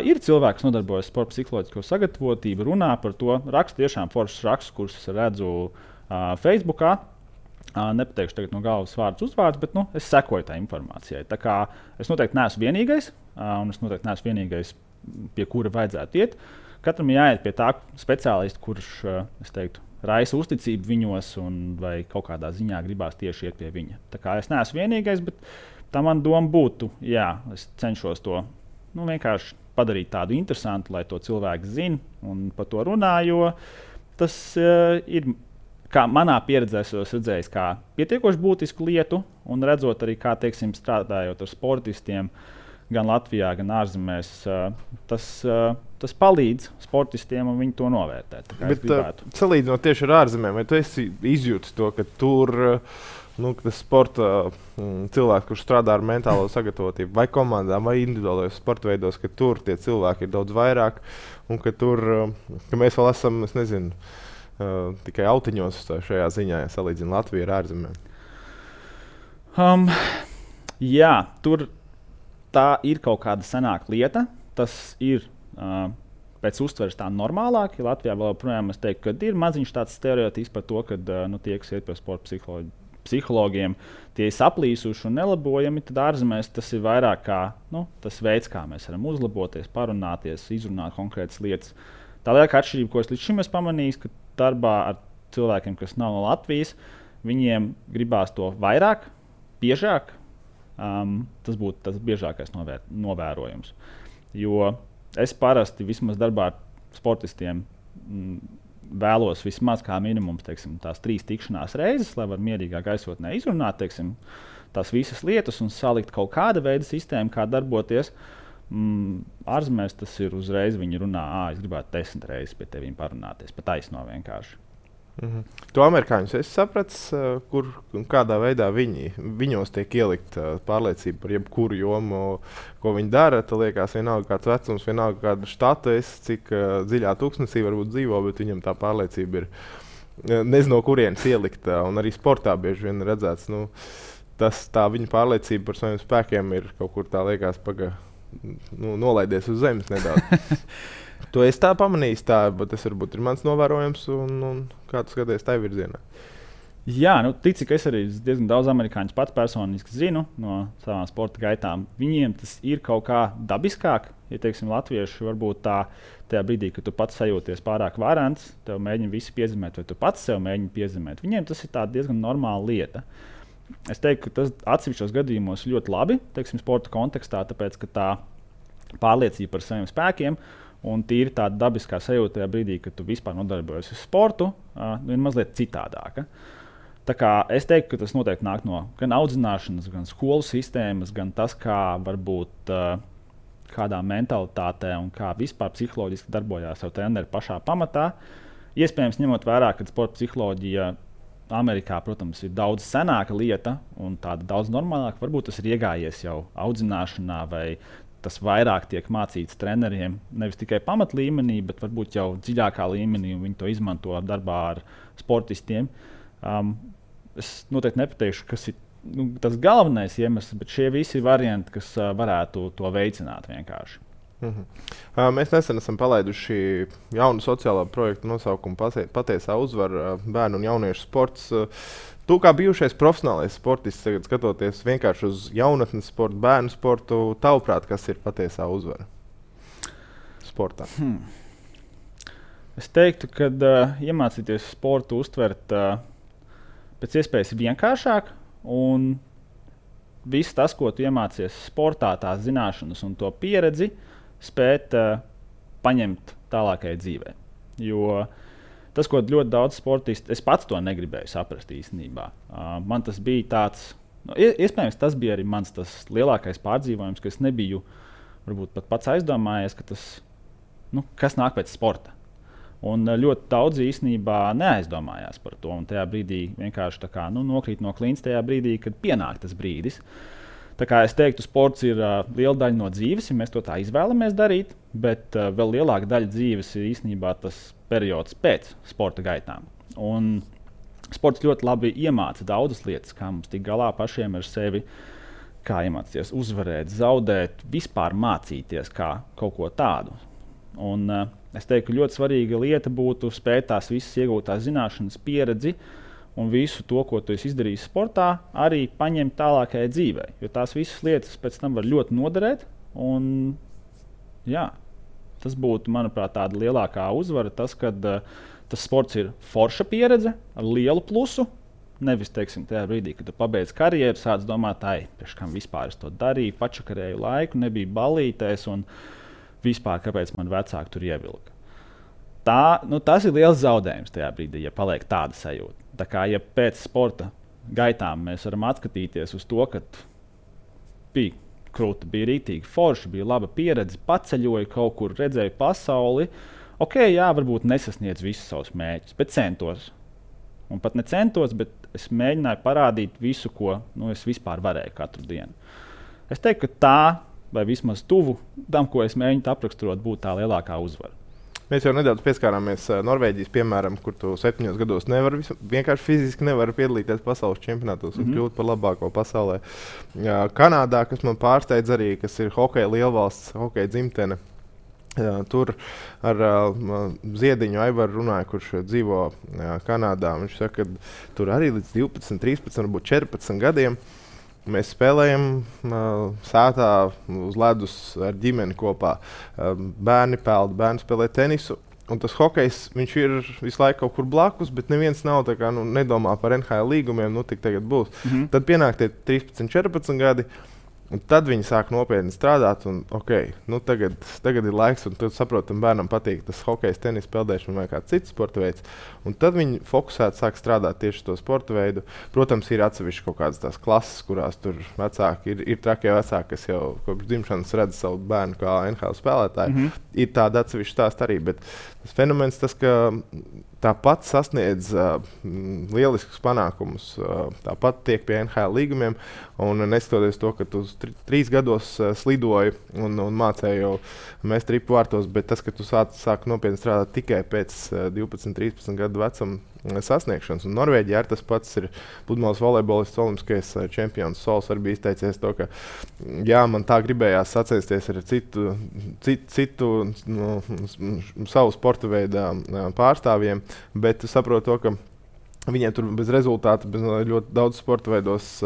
Ir cilvēki, kas nodarbojas ar sporta psiholoģisko sagatavotību, runā par to, raksta tiešām foršus rakstus, kurus es redzu Facebookā. Nepateikšu tagad no galvas vārdus uzvārdus, bet es sekoju tā informācijai. Tā kā es noteikti neesmu vienīgais, un es noteikti neesmu vienīgais, pie kura vajadzētu iet. Katram ir jāiet pie tā speciālista, kurš, es teiktu, raisa uzticību viņos, vai kaut kādā ziņā gribās tieši iet pie viņa. Tā kā es neesmu vienīgais, bet tā man doma būtu, jā, es cenšos to vienkārši padarīt tādu interesantu, lai to cilvēku zina un par to runā, jo tas ir, kā manā pieredzē, es redzēju, kā pietiekoši būtisku lietu, un redzot arī, kā, teiksim, strādājot ar sportistiem, gan Latvijā, gan ārzemēs, tas palīdz sportistiem, un viņi to novērtē. Bet salīdzinot tieši ar ārzemēm, vai tu esi izjūtis to, ka tur tas sporta cilvēks, kurš strādā ar mentālo sagatavotību, vai komandām, vai individuālajos sporta veidos, ka tur tie cilvēki ir daudz vairāk, un ka tur, ka mēs vēl esam, es nezinu, tikai autiņos šajā ziņā, ja salīdzina Latviju ar ārzemēm? Jā, tur tā ir kaut kāda senāka lieta. Tas ir pēc uztveres tā normālāk. Ja Latvijā vēl joprojām es teiktu, ka ir maziņš tāds stereotips par to, ka tie, kas iet pie sporta psihologiem, tie ir saplīsuši un nelabojami. Tad ārzemēs tas ir vairāk kā tas veids, kā mēs varam uzlaboties, parunāties, izrunāt konkrētas lietas. Tā lielākā atšķirība, ko es līdz šim esmu pamanījis, ka darbā ar cilvēkiem, kas nav no Latvijas, viņiem gribās to vairāk, biežāk. Tas būtu tas biežākais novērojums. Jo es parasti vismaz darbā ar sportistiem vēlos vismaz kā minimums tās 3 tikšanās reizes, lai var mierīgā gaisotnē izrunāt tās visas lietas un salikt kaut kāda veida sistēmu, kā darboties. Ārzemēs tas ir uzreiz, viņi runā, es gribētu 10 reizes pie tevīm parunāties, pat taisno vienkārši. To amerikāņus es sapratu, kur un kādā veidā viņos tiek ielikt pārliecība par jebkuru jomu, ko viņi dara. Tas liekas, vienalga kāds vecums, vienalga kāda štata, cik dziļā tūkstnesī varbūt dzīvo, bet viņam tā pārliecība ir nezinu, no kurienes ielikta. Un arī sportā bieži vien redzēts, tā viņa pārliecība par saviem spēkiem ir kaut kur tā liekas nolaidies uz zemes nedaudz. To es tā pamanīju, bet tas varbūt ir mans novērojums, un kā tu skaties tajā virzienā? Jā, tici, ka es arī diezgan daudz amerikāņus pats personiski zinu no savām sporta gaitām. Viņiem tas ir kaut kā dabiskāk. Ja teiksim, latvieši varbūt tajā brīdī, kad tu pats sajūties pārāk varants, tev mēģina visi piezemēt, vai tu pats sev mēģini piezemēt. Viņiem tas ir diezgan normāla lieta. Es teiktu, ka tas atsevišķos gadījumos ļoti labi, teiksim, sporta kontekstā, tāpēc, ka tā pārliecība par saviem spēkiem un tīri tāda dabiskā sajūta tajā brīdī, kad tu vispār nodarbojies ar sportu, ir mazliet citādāka. Tā kā es teiktu, ka tas noteikti nāk no gan audzināšanas, gan skolu sistēmas, gan tas, kā varbūt kādā mentalitātē un kā vispār psiholoģiski darbojās jau treneri pašā pamatā. Iespējams, ņemot vērā, ka sporta psiholoģija Amerikā, protams, ir daudz senāka lieta un tāda daudz normālāka. Varbūt tas ir iegājies jau audzināšanā vai tas vairāk tiek mācīts treneriem, nevis tikai pamatlīmenī, bet varbūt jau dziļākā līmenī, un viņi to izmanto darbā ar sportistiem. Es noteikti nepateikšu, kas ir tas galvenais iemesls, bet šie visi varianti, kas varētu to veicināt vienkārši. Mēs nesen esam palaiduši jaunu sociālā projektu nosaukumu Patiesā uzvara bērnu un jauniešu sports. Tu kā bijušais profesionālais sportists, tagad skatoties vienkārši uz jaunatnes sportu, bērnu sportu, tavuprāt, kas ir patiesā uzvara sportā? Es teiktu, ka iemācīties sportu uztvert pēc iespējas vienkāršāk, un viss tas, ko tu iemācies sportā, tās zināšanas un to pieredzi, spēt paņemt tālākajai dzīvē. Jo tas, ko ļoti daudz sportisti, es pats to negribēju saprast īstenībā. Man tas bija tāds, iespējams, tas bija arī mans lielākais pārdzīvojums, ka es nebiju varbūt pat pats aizdomājies, ka tas, kas nāk pēc sporta. Un ļoti daudz īstenībā neaizdomājās par to. Un tajā brīdī vienkārši nokrīt no klints tajā brīdī, kad pienāk tas brīdis. Tā kā es teiktu, sports ir liela daļa no dzīves, ja mēs to tā izvēlamies darīt, bet vēl lielāka daļa dzīves ir īstenībā tas periods pēc sporta gaitām. Un sports ļoti labi iemāca daudzas lietas, kā mums tikt galā pašiem ar sevi, kā iemācīties uzvarēt, zaudēt, vispār mācīties kā kaut ko tādu. Un es teiktu, ka ļoti svarīga lieta būtu spēt tās visas iegūtās zināšanas, pieredzi, un visu to, ko tu esi izdarījis sportā, arī paņemt tālākajai dzīvei. Jo tās visas lietas pēc tam var ļoti noderēt. Un, jā, tas būtu, manuprāt, tāda lielākā uzvara. Tas, ka tas sports ir forša pieredze ar lielu plusu. Nevis, teiksim, tajā brīdī, kad tu pabeidz karjeru, sāc domāt, priekš kam vispār es to darīju, pačakarēju laiku, nebija balītēs un vispār, kāpēc man vecāki tur ievilka. Tas ir liels zaudējums tajā brīdī, ja paliek tāda sajūta. Tā kā, ja pēc sporta gaitām mēs varam atskatīties uz to, ka bija krūta, bija rītīgi forša, bija laba pieredze, paceļoju kaut kur, redzēju pasauli, jā, varbūt nesasniedzu visus savus mērķus, bet centos. Un pat necentos, bet es mēģināju parādīt visu, ko es vispār varēju katru dienu. Es teiktu, ka tā, vai vismaz tuvu tam, ko es mēģinu apraksturot, būtu tā lielākā uzvara. Mēs jau nedaudz pieskārāmies Norvēģijas piemēram, kur tu 7 gados vienkārši fiziski nevari piedalīties pasaules čempionātos un kļūt par labāko pasaulē. Kanādā, kas man pārsteidz arī, kas ir hokeja lielvalsts, hokeja dzimtene. Tur ar Ziediņu Aivaru runāja, kurš dzīvo Kanādā. Viņš saka, ka tur arī līdz 12, 13, varbūt 14 gadiem mēs spēlējam sētā uz ledus ar ģimeni kopā. Bērni peld, bērni spēlē tenisu. Un tas hokejs, viņš ir visu laiku kaut kur blakus, bet neviens nav tā kā, nedomā par NHL līgumiem, tik tagad būs. Tad pienāk tie 13, 14 gadi. Un tad viņi sāk nopietni strādāt, un tagad ir laiks, un tad saprotam, bērnam patīk tas hokejs, tenis, peldēšana vai kāds cits sporta veids. Un tad viņi fokusēti sāk strādāt tieši to sporta veidu. Protams, ir atsevišķi kaut kādas tās klases, kurās tur vecāki ir trakie vecāki, kas jau kopš dzimšanas redz savu bērnu kā NHL spēlētāju. Ir tāda atsevišķa stāsta arī, bet tas fenomens tas, ka tāpat sasniedz lieliskus panākumus, tāpat tiek pie NHL līgumiem. Un neskatoties to, ka tu 3 gados slidoji un mācēji jau mest ripu vārtos, bet tas, ka tu sāk nopietni strādāt tikai pēc 12, 13 gadu vecuma sasniegšanas. Un Norvēģijā ar tas pats ir pludmales volejbolists, olimpiskais čempions Sols arī bija izteicies to, ka jā, man tā gribējās sacensties ar citu savu sporta veidā pārstāvjiem, bet saprotu to, ka viņiem tur bez rezultātu, bez ļoti daudz sporta veidos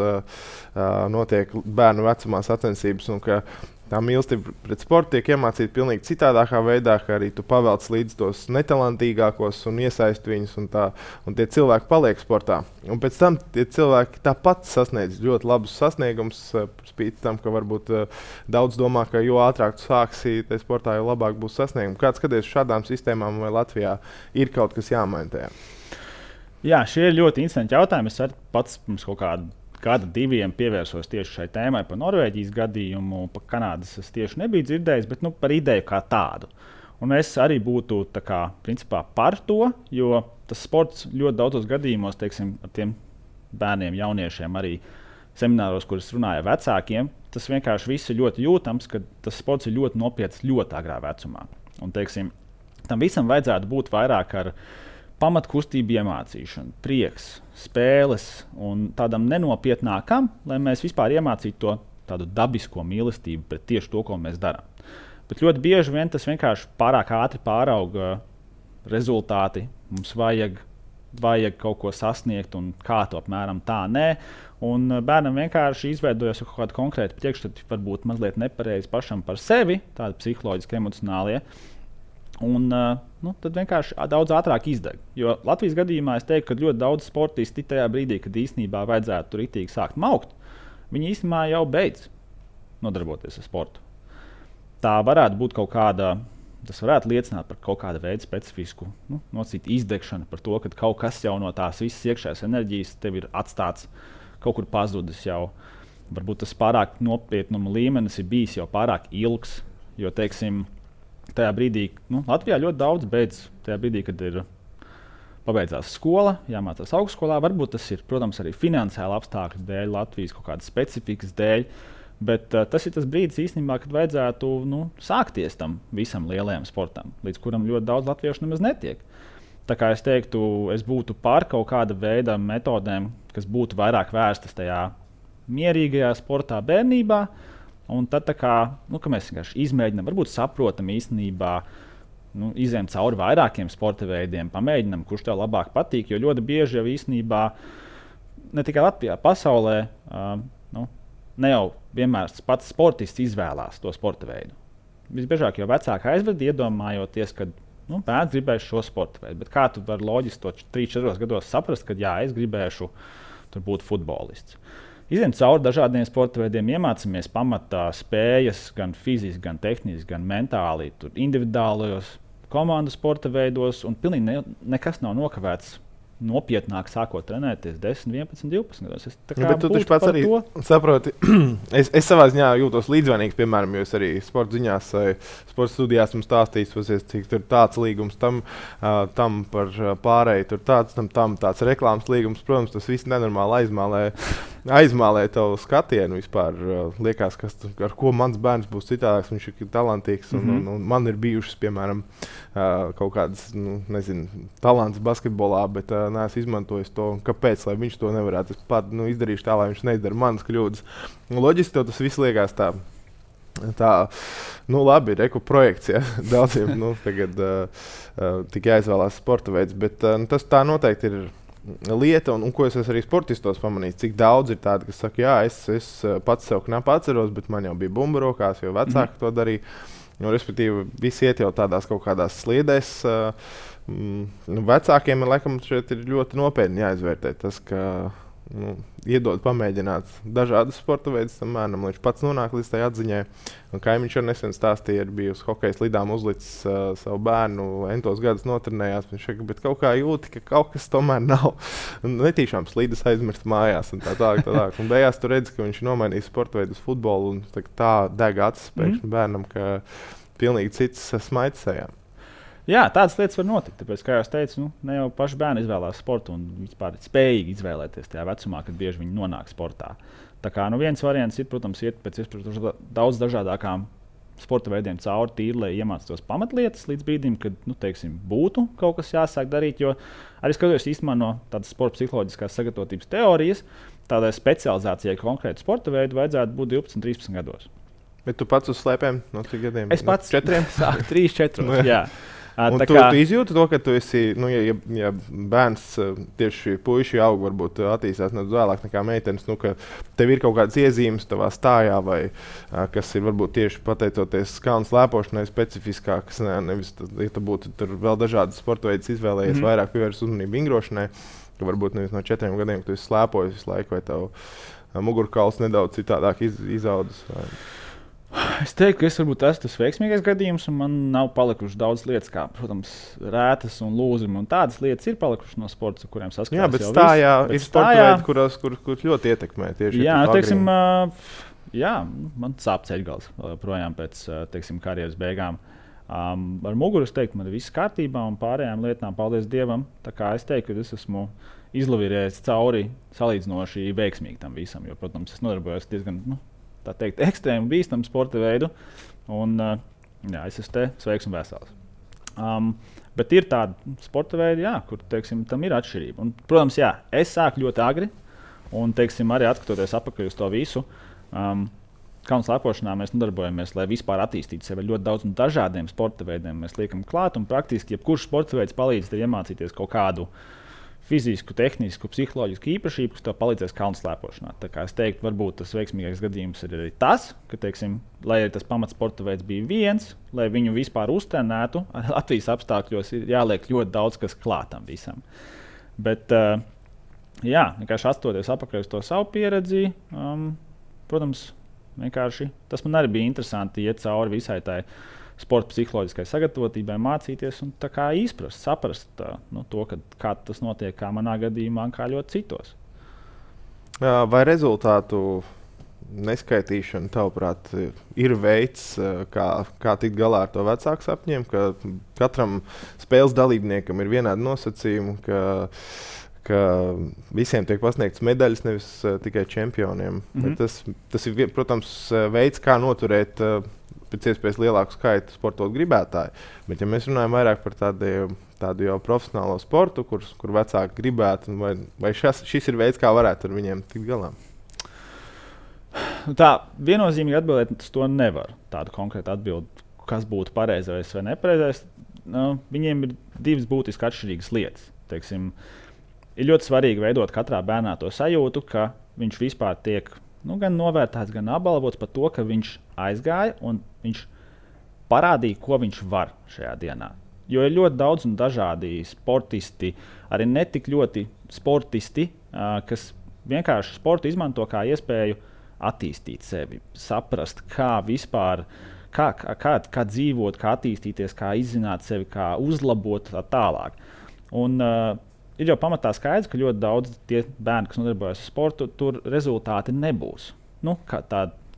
notiek bērnu vecumā sacensības, un ka tā mīlestība pret sportu tiek iemācīta pilnīgi citādākā veidā, ka arī tu pavelc līdz tos netalantīgākos un iesaisti viņus, un tie cilvēki paliek sportā. Un pēc tam tie cilvēki tāpat sasniedz ļoti labus sasniegumus, spīt tam, ka varbūt daudz domā, ka jo ātrāk tu sāksi tajā sportā, jo labāk būs sasniegumi. Kāds skaties šādām sistēmām vai Latvijā ir kaut kas jāmaina tajā? Jā, šie ir ļoti interesanti jautājumi. Es pats pirms kaut kāda 2 pievērsos tieši šai tēmai par Norvēģijas gadījumu, par Kanādas es tieši nebiju dzirdējis, bet par ideju kā tādu. Un es arī būtu principā par to, jo tas sports ļoti daudzos gadījumos, teiksim, ar tiem bērniem, jauniešiem, arī semināros, kurus runāja vecākiem, tas vienkārši viss ir ļoti jūtams, ka tas sports ir ļoti nopietns ļoti agrā vecumā. Un, teiksim, tam visam vajadzētu būt vairāk ar pamatkustību iemācīšanu, prieks, spēles un tādam nenopietnākam, lai mēs vispār iemācītu to tādu dabisko mīlestību pret tieši to, ko mēs darām. Bet ļoti bieži vien tas vienkārši pārāk ātri pārauga rezultāti. Mums vajag kaut ko sasniegt, un kā to apmēram tā nē. Un bērnam vienkārši izveidojas kaut kāda konkrēta priekšstati, varbūt mazliet nepareizi pašam par sevi, tādi psiholoģiski, emocionālie. Un tad vienkārši daudz ātrāk izdeg. Jo Latvijas gadījumā es teiktu, ka ļoti daudz sportisti tajā brīdī, kad īstenībā vajadzētu tur ritīgi sākt maukt, viņi īstenībā jau beidz nodarboties ar sportu. Tā varētu būt kaut kāda, tas varētu liecināt par kaut kādu veidu specifisku nosacītu izdegšanu, par to, ka kaut kas jau no tās visas iekšējās enerģijas tev ir atstāts, kaut kur pazudis jau. Varbūt tas pārāk nopietnuma līmenis ir bijis jau pārāk ilgs, jo, teiksim, tajā brīdī, Latvijā ļoti daudz beidz tajā brīdī, kad ir pabeidzās skola, jāmācās augstskolā. Varbūt tas ir, protams, arī finansiāli apstākļu dēļ, Latvijas kaut kādas specifikas dēļ, bet tas ir tas brīdis īstenībā, kad vajadzētu sākties tam visam lielajam sportam, līdz kuram ļoti daudz latviešu nemaz netiek. Tā kā es teiktu, es būtu par kaut kāda veida metodēm, kas būtu vairāk vērstas tajā mierīgajā sportā bērnībā. Un tad, ka mēs vienkārši izmēģinām, varbūt saprotam īstenībā, izejam cauri vairākiem sporta veidiem, pamēģinām, kurš tev labāk patīk. Jo ļoti bieži jau īstenībā, ne tikai Latvijā, pasaulē, ne jau vienmēr pats sportists izvēlās to sporta veidu. Visbiežāk jau vecāki aizved, iedomājoties, ka bērns gribēs šo sporta veidu. Bet kā tu vari loģiski to 3-4 gados saprast, ka jā, es gribēšu tur būt futbolists. Izejam cauri dažādiem sporta veidiem, iemācāmies pamatā spējas, gan fiziski, gan tehniski, gan mentāli, individuālajos komandu sporta veidos, un pilnīgi nekas nav nokavēts nopietnāk sākot trenēties 10, 11, 12 gados. Bet tu taču pats arī saproti, es savā ziņā jūtos līdzvainīgs, piemēram, jo es arī sporta ziņās, sporta studijās mums stāstīju, cik tur tāds līgums tam par pārēju, tur tāds reklāmas līgums. Protams, tas viss nenormāli aizmālē tavu skatienu vispār. Liekas, ar ko mans bērns būs citādāks, viņš ir talantīgs, un man ir bijušas, piemēram, kaut kādas, talants basketbolā, bet neesmu izmantojis to, kāpēc, lai viņš to nevarētu. Es pat izdarīšu tā, lai viņš neizdara manas kļūdas. Loģiski tev tas viss liekas tā labi, reku projekts, ja? Daudziem tagad tikai jāizvēlās sporta veids, bet tas tā noteikti ir lieta, un ko es arī sportistos pamanīju, cik daudz ir tādi, kas saka, jā, es pats sev knapi atceros, bet man jau bija bumba rokās, jo vecāki to darīja. Respektīvi, visi iet jau tādās kaut kādās sliedēs. Vecākiem laikam šeit ir ļoti nopietni jāizvērtē tas, ka iedod pamēģināt dažādas sporta veidus tam bērnam, lai viņš pats nonāk līdz tai atziņai. Kaimiņš jau nesen stāstīja, ir bijusi hokeja slidām uzlicis savu bērnu, entos gadus notrenējās. Viņš saka, bet kaut kā jūti, ka kaut kas tomēr nav. Netīšām slidas aizmirst mājās un tā tālāk. Un beigās tu redzi, ka viņš nomainīja sporta veidu uz futbolu un tā deg acis pēkšņi bērnam, ka pilnīgi cits smaids sejā. Jā, tādas lietas var notikt. Tāpēc, kā jau teicu, ne jau paši bērni izvēlās sportu un vispār ir spējīgi izvēlēties tajā vecumā, kad bieži viņi nonāk sportā. Tā kā viens variants ir, protams, iet pēc iespējas daudz dažādākām sporta veidiem cauri tīri, lai iemācītos pamatlietas līdz brīdim, kad būtu kaut kas jāsāk darīt. Jo arī skatoties īstenībā no tādas sporta psiholoģiskās sagatavotības teorijas, tādai specializācijai konkrēti sporta veidu vajadzētu būt 12, 13 gados. Bet tu pats uz slēpēm no cik gadiem? Es pats 4? Sāku 3, 4. Jā. Un tu izjūti to, ka tu esi, ja bērns tieši puiši aug, varbūt attīstās nedaudz vēlāk nekā meitenes, ka tev ir kaut kādas iezīmes tavā stājā, vai kas ir varbūt tieši pateicoties kalnu slēpošanai specifiskākas, nevis, ja tu būtu tur vēl dažādas sporta veidus izvēlējies, vairāk pievērst uzmanību vingrošanai, ka varbūt nevis no 4 gadiem, ka tu esi slēpojis visu laiku, vai tavu mugurkauls nedaudz citādāk izaudzis. Es teiktu, ka es varbūt esmu tas veiksmīgais gadījums, un man nav palikušas daudz lietas, kā, protams, rētas un lūzumi. Un tādas lietas ir palikušas no sporta, ar kuriem saskarās. Jā, bet stājā ir sporta veidi, kur ļoti ietekmē tieši. Jā, teiksim, man sāp ceļgals projām pēc karjeras beigām. Ar muguru es teiktu, man ir viss kārtībā, un pārējām lietām, paldies Dievam. Tā kā es teiktu, ka es esmu izlavījies cauri salīdzinoši veiksmīgi tam visam, jo, protams, es nodarbojos diezgan, tā teikt, ekstrēmu bīstamu sporta veidu. Un, es esmu te sveiks un vesels. Bet ir tādi sporta veidi, kur teiksim, tam ir atšķirība. Un, protams, es sāku ļoti agri. Un teiksim, arī atskatoties atpakaļ uz to visu, kalnu slēpošanā mēs nodarbojamies, lai vispār attīstītu sevi ļoti daudz un dažādiem sporta veidiem. Mēs liekam klāt, un praktiski jebkurš sporta veids palīdz tev iemācīties kaut kādu fizisku, tehnisku, psiholoģisku īpašību, kas tev palīdzēs kalnu slēpošanā. Tā kā es teiktu, varbūt tas veiksmīgākais gadījums ir arī tas, ka, teiksim, lai tas pamatsporta veids bija viens, lai viņu vispār uztrenētu, Latvijas apstākļos ir jāliek ļoti daudz kas klātam visam. Bet, vienkārši atstoties apakaļ uz to savu pieredzi, protams, vienkārši tas man arī bija interesanti iet cauri visai tai sporta psiholoģiskai sagatavotībai, mācīties un izprast, saprast to, kā tas notiek, kā manā gadījumā, kā ļoti citos. Vai rezultātu neskaitīšana, tavuprāt, ir veids, kā tikt galā ar to vecāku sapņiem, ka katram spēles dalībniekam ir vienādi nosacījumi, ka visiem tiek pasniegts medaļas, nevis tikai čempioniem. Tas ir, protams, veids, kā noturēt pēc iespējas lielāku skaitu sportot gribētāju. Bet, ja mēs runājam vairāk par tādu jau profesionālo sportu, kur vecāki gribētu, vai šis ir veids, kā varētu ar viņiem tikt galā? Tā viennozīmīgi atbildēt uz to nevar. Tādu konkrētu atbildi, kas būtu pareizais vai nepareizais. Viņiem ir divas būtiski atšķirīgas lietas. Teiksim, ir ļoti svarīgi veidot katrā bērnā to sajūtu, ka viņš vispār tiek gan novērtēts, gan apbalvots par to, ka viņš aizgāja un viņš parādīja, ko viņš var šajā dienā. Jo ir ļoti daudz un dažādi sportisti, arī ne tik ļoti sportisti, kas vienkārši sportu izmanto kā iespēju attīstīt sevi, saprast, kā vispār, kā dzīvot, kā attīstīties, kā izzināt sevi, kā uzlabot tā tālāk. Un, ir jau pamatā skaidrs, ka ļoti daudz tie bērni, kas nodarbojas ar sportu, tur rezultāti nebūs.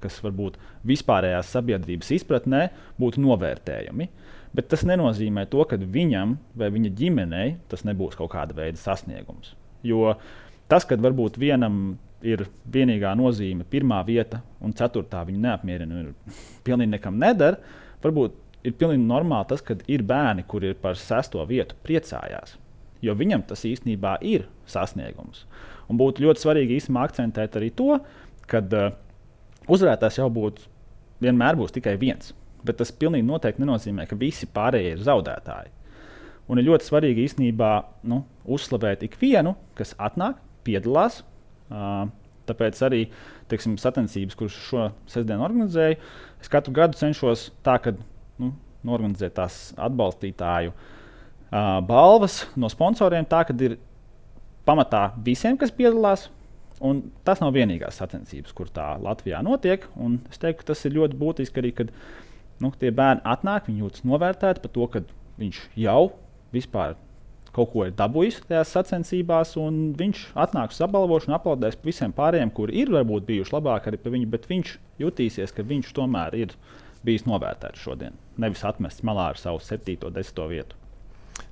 Kas varbūt vispārējās sabiedrības izpratnē būtu novērtējami. Bet tas nenozīmē to, ka viņam vai viņa ģimenei tas nebūs kaut kāda veida sasniegums. Jo tas, kad varbūt vienam ir vienīgā nozīme 1. vieta un 4. viņa neapmierina un pilnīgi nekam nedara, varbūt ir pilnīgi normāli tas, ka ir bērni, kuri ir par 6. vietu priecājās. Jo viņam tas īstenībā ir sasniegums. Un būtu ļoti svarīgi īstenībā akcentēt arī to, ka uzvarētājs jau vienmēr būs tikai viens. Bet tas pilnīgi noteikti nenozīmē, ka visi pārējie ir zaudētāji. Un ir ļoti svarīgi īstenībā uzslavēt ikvienu, kas atnāk, piedalās. Tāpēc arī sacensības, kuras šo sestdienu organizēju, es katru gadu cenšos tā, ka norganizēt tās atbalstītāju balvas no sponsoriem tā, ka ir pamatā visiem, kas piedalās. Un tas nav vienīgās sacensības, kur tā Latvijā notiek. Un es teiktu, ka tas ir ļoti būtiski arī, kad tie bērni atnāk, viņi jūtas novērtēti par to, ka viņš jau vispār kaut ko ir dabūjis tajās sacensībās, un viņš atnāks uz apbalvošanu, aplaudēs visiem pārējiem, kuri ir varbūt bijuši labāki arī par viņu, bet viņš jutīsies, ka viņš tomēr ir bijis novērtēts šodien. Nevis atmests malā ar savu 7. un 10. vietu.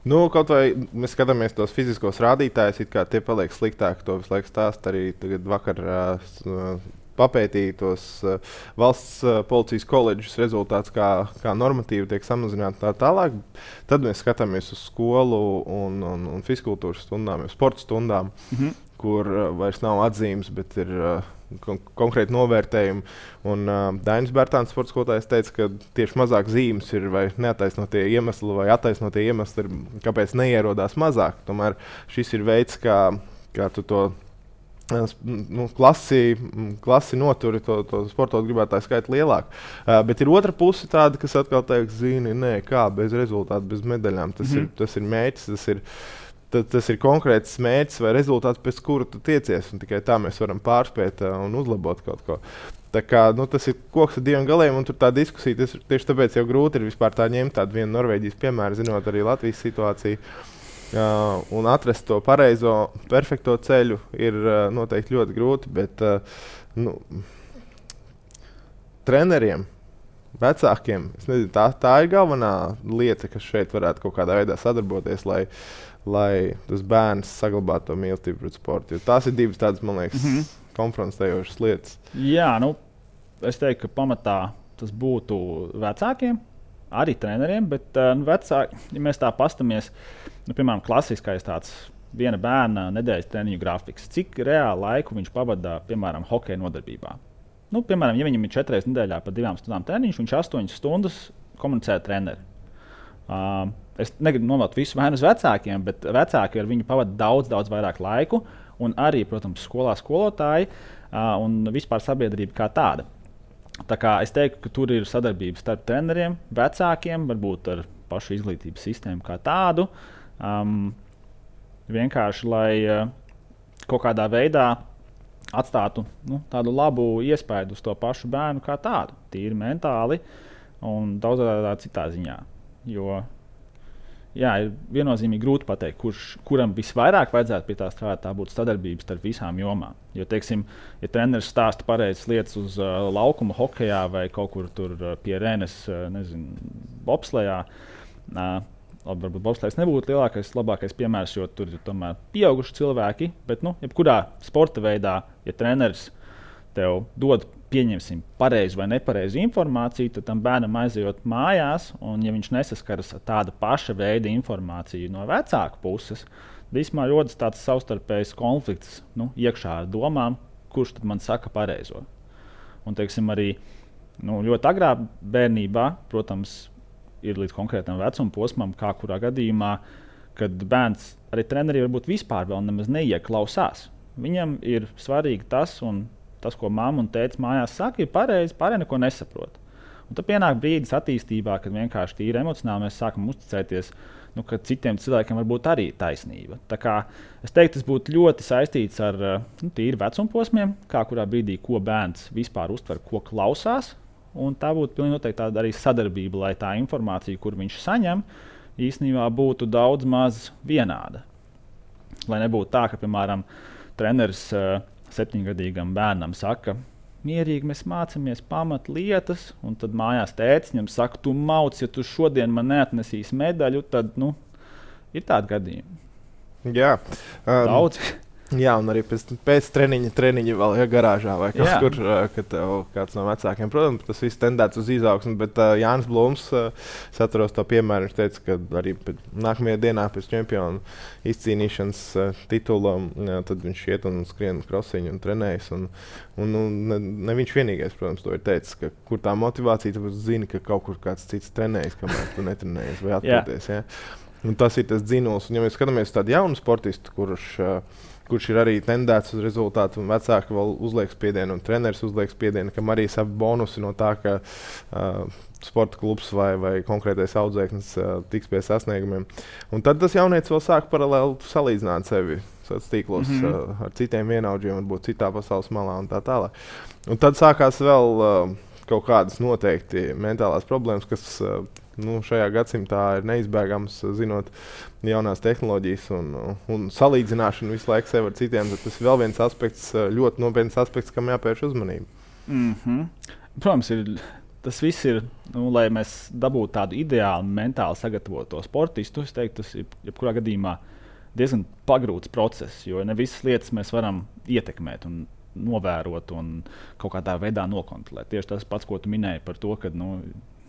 Kaut vai mēs skatāmies tos fiziskos rādītājus, it kā tie paliek sliktāki, to visu laiku stāst. Arī vakar papētīja tos valsts policijas koledžas rezultātus, kā normatīvi tiek samazināti tā tālāk. Tad mēs skatāmies uz skolu un fiziskultūras stundām, sporta stundām, kur vairs nav atzīmes, bet ir konkrēti novērtējumi. Un Dainis Bērtāns, sporta skolotājs, teica, ka tieši mazāk zīmes ir vai neattaisnotie iemesli, vai attaisnotie iemesli ir, kāpēc neierodās mazāk. Tomēr šis ir veids, kā tu to klasi noturi, to sportot gribētāju skaitu lielāku. Bet ir otra puse tāda, kas atkal teiks, kā bez rezultātu, bez medaļām. Tas ir mērķis, tas ir konkrēts mērķis vai rezultāts, pēc kura tu tiecies. Un tikai tā mēs varam pārspēt un uzlabot kaut ko. Tā kā, tas ir koks ar diviem galiem, un tur tā diskusija, tieši tāpēc jau grūti ir vispār tā ņemt tādu vienu Norvēģijas piemēru, zinot arī Latvijas situāciju. Un atrast to pareizo, perfekto ceļu ir noteikti ļoti grūti, bet treneriem, vecākiem, es nezinu, tā ir galvenā lieta, kas šeit varētu kaut kādā veidā sadarboties, lai tas bērns saglabātu to mīlestību pret sportu. Jo tās ir divas tādas, man liekas, konfrontējošas lietas. Jā, es teiktu, ka pamatā tas būtu vecākiem, arī treneriem, bet vecāki, ja mēs tā pastamies, piemēram, klasiskais tāds viena bērna nedēļas treniņu grafiks, cik reāli laiku viņš pavadā, piemēram, hokeja nodarbībā. Piemēram, ja viņam ir 4 reizes nedēļā pa 2 stundām treniņš, viņš 8 stundas komunicē ar treneri. Es negribu novelt visu vainu uz vecākiem, bet vecāki ar viņu pavada daudz vairāk laiku, un arī, protams, skolā skolotāji un vispār sabiedrība kā tāda. Tā kā es teiktu, ka tur ir sadarbība starp treneriem, vecākiem, varbūt ar pašu izglītības sistēmu kā tādu. Vienkārši, lai kaut kādā veidā atstātu tādu labu iespaidu uz to pašu bērnu kā tādu, tīri mentāli un daudzā citā ziņā. Jo ir viennozīmīgi grūti pateikt, kuram visvairāk vajadzētu pie tā strādāt, tā būtu sadarbības starp visām jomām. Jo, teiksim, ja treneris stāsta pareizas lietas uz laukuma hokejā vai kaut kur tur pie Renes, bobslejā, varbūt bobslejs nebūtu labākais piemērs, jo tur ir tomēr pieauguši cilvēki, bet, jebkurā sporta veidā, ja treneris tev dod, pieņemsim, pareizu vai nepareizu informāciju, tad tam bērnam aizejot mājās, un ja viņš nesaskaras ar tādu paša veida informāciju no vecāka puses, vismā rodas tāds savstarpējs konflikts iekšā ar domām, kurš tad man saka pareizo. Un, teiksim, arī ļoti agrā bērnībā, protams, ir līdz konkrētam vecuma posmam, kā kurā gadījumā, kad bērns arī treneri varbūt vispār vēl nemaz neieklausās. Viņam ir svarīgi tas, ko mamma un tētis mājās saka, ir pareizi, pārējie neko nesaprot. Un tad pienāk brīdis attīstībā, kad vienkārši tīri emocionāli mēs sākam uzticēties, ka citiem cilvēkiem var būt arī taisnība. Tā kā es teiktu, tas būtu ļoti saistīts ar tīri vecumposmiem, kā kurā brīdī, ko bērns vispār uztver, ko klausās. Un tā būtu pilnīgi noteikti tāda arī sadarbība, lai tā informācija, kur viņš saņem, īstenībā būtu daudz maz vienāda. Lai nebūtu tā, ka, piemēram, treneris 7-gadīgam bērnam saka, mierīgi mēs mācāmies pamatlietas, un tad mājās tētis viņam saka, tu mauc, ja tu šodien man neatnesīsi medaļu, tad ir tādi gadījumi. Jā. Daudz. Jā, un arī pēc treniņa vēl garāžā vai kaut kur, kad tev kāds no vecākiem. Protams, tas viss tendēts uz izaugsmu, bet Jānis Blūms, es atceros to piemēru, viņš teica, ka arī nākamajā dienā pēc čempionu izcīnīšanas titula, tad viņš iet un skrien krosiņu un trenējas. Un ne viņš vienīgais, protams, to ir teicis, ka kur tā motivācija, tāpēc zini, ka kaut kur kāds cits trenējas, kamēr tu netrenējies vai atpūties. Ja? Un tas ir tas dzinuls. Un ja mēs skatāmies tādu jaunu sportistu, kurš kurš ir arī tendēts uz rezultātu, un vecāki vēl uzliek spiedienu, un treneris uzliek spiedienu, kam arī savi bonusi no tā, ka sporta klubs vai konkrētais audzēknis tiks pie sasniegumiem. Un tad tas jaunietis vēl sāk paralēli salīdzināt sevi tīklos ar citiem vienaudžiem, varbūt citā pasaules malā un tā tālāk. Un tad sākās vēl kaut kādas noteikti mentālās problēmas, kas šajā gadsimtā ir neizbēgams, zinot jaunās tehnoloģijas un salīdzināšanu visu laiku sev ar citiem. Tas ir vēl viens aspekts, ļoti nopietns aspekts, kam jāpievērš uzmanība. Protams, tas viss ir, lai mēs dabūtu tādu ideālu, mentāli sagatavotu sportistu. Es teiktu, tas ir jebkurā gadījumā diezgan pagrūts process, jo ne visas lietas mēs varam ietekmēt un novērot un kaut kādā veidā nokontrolēt. Tieši tas pats, ko tu minēji par to, ka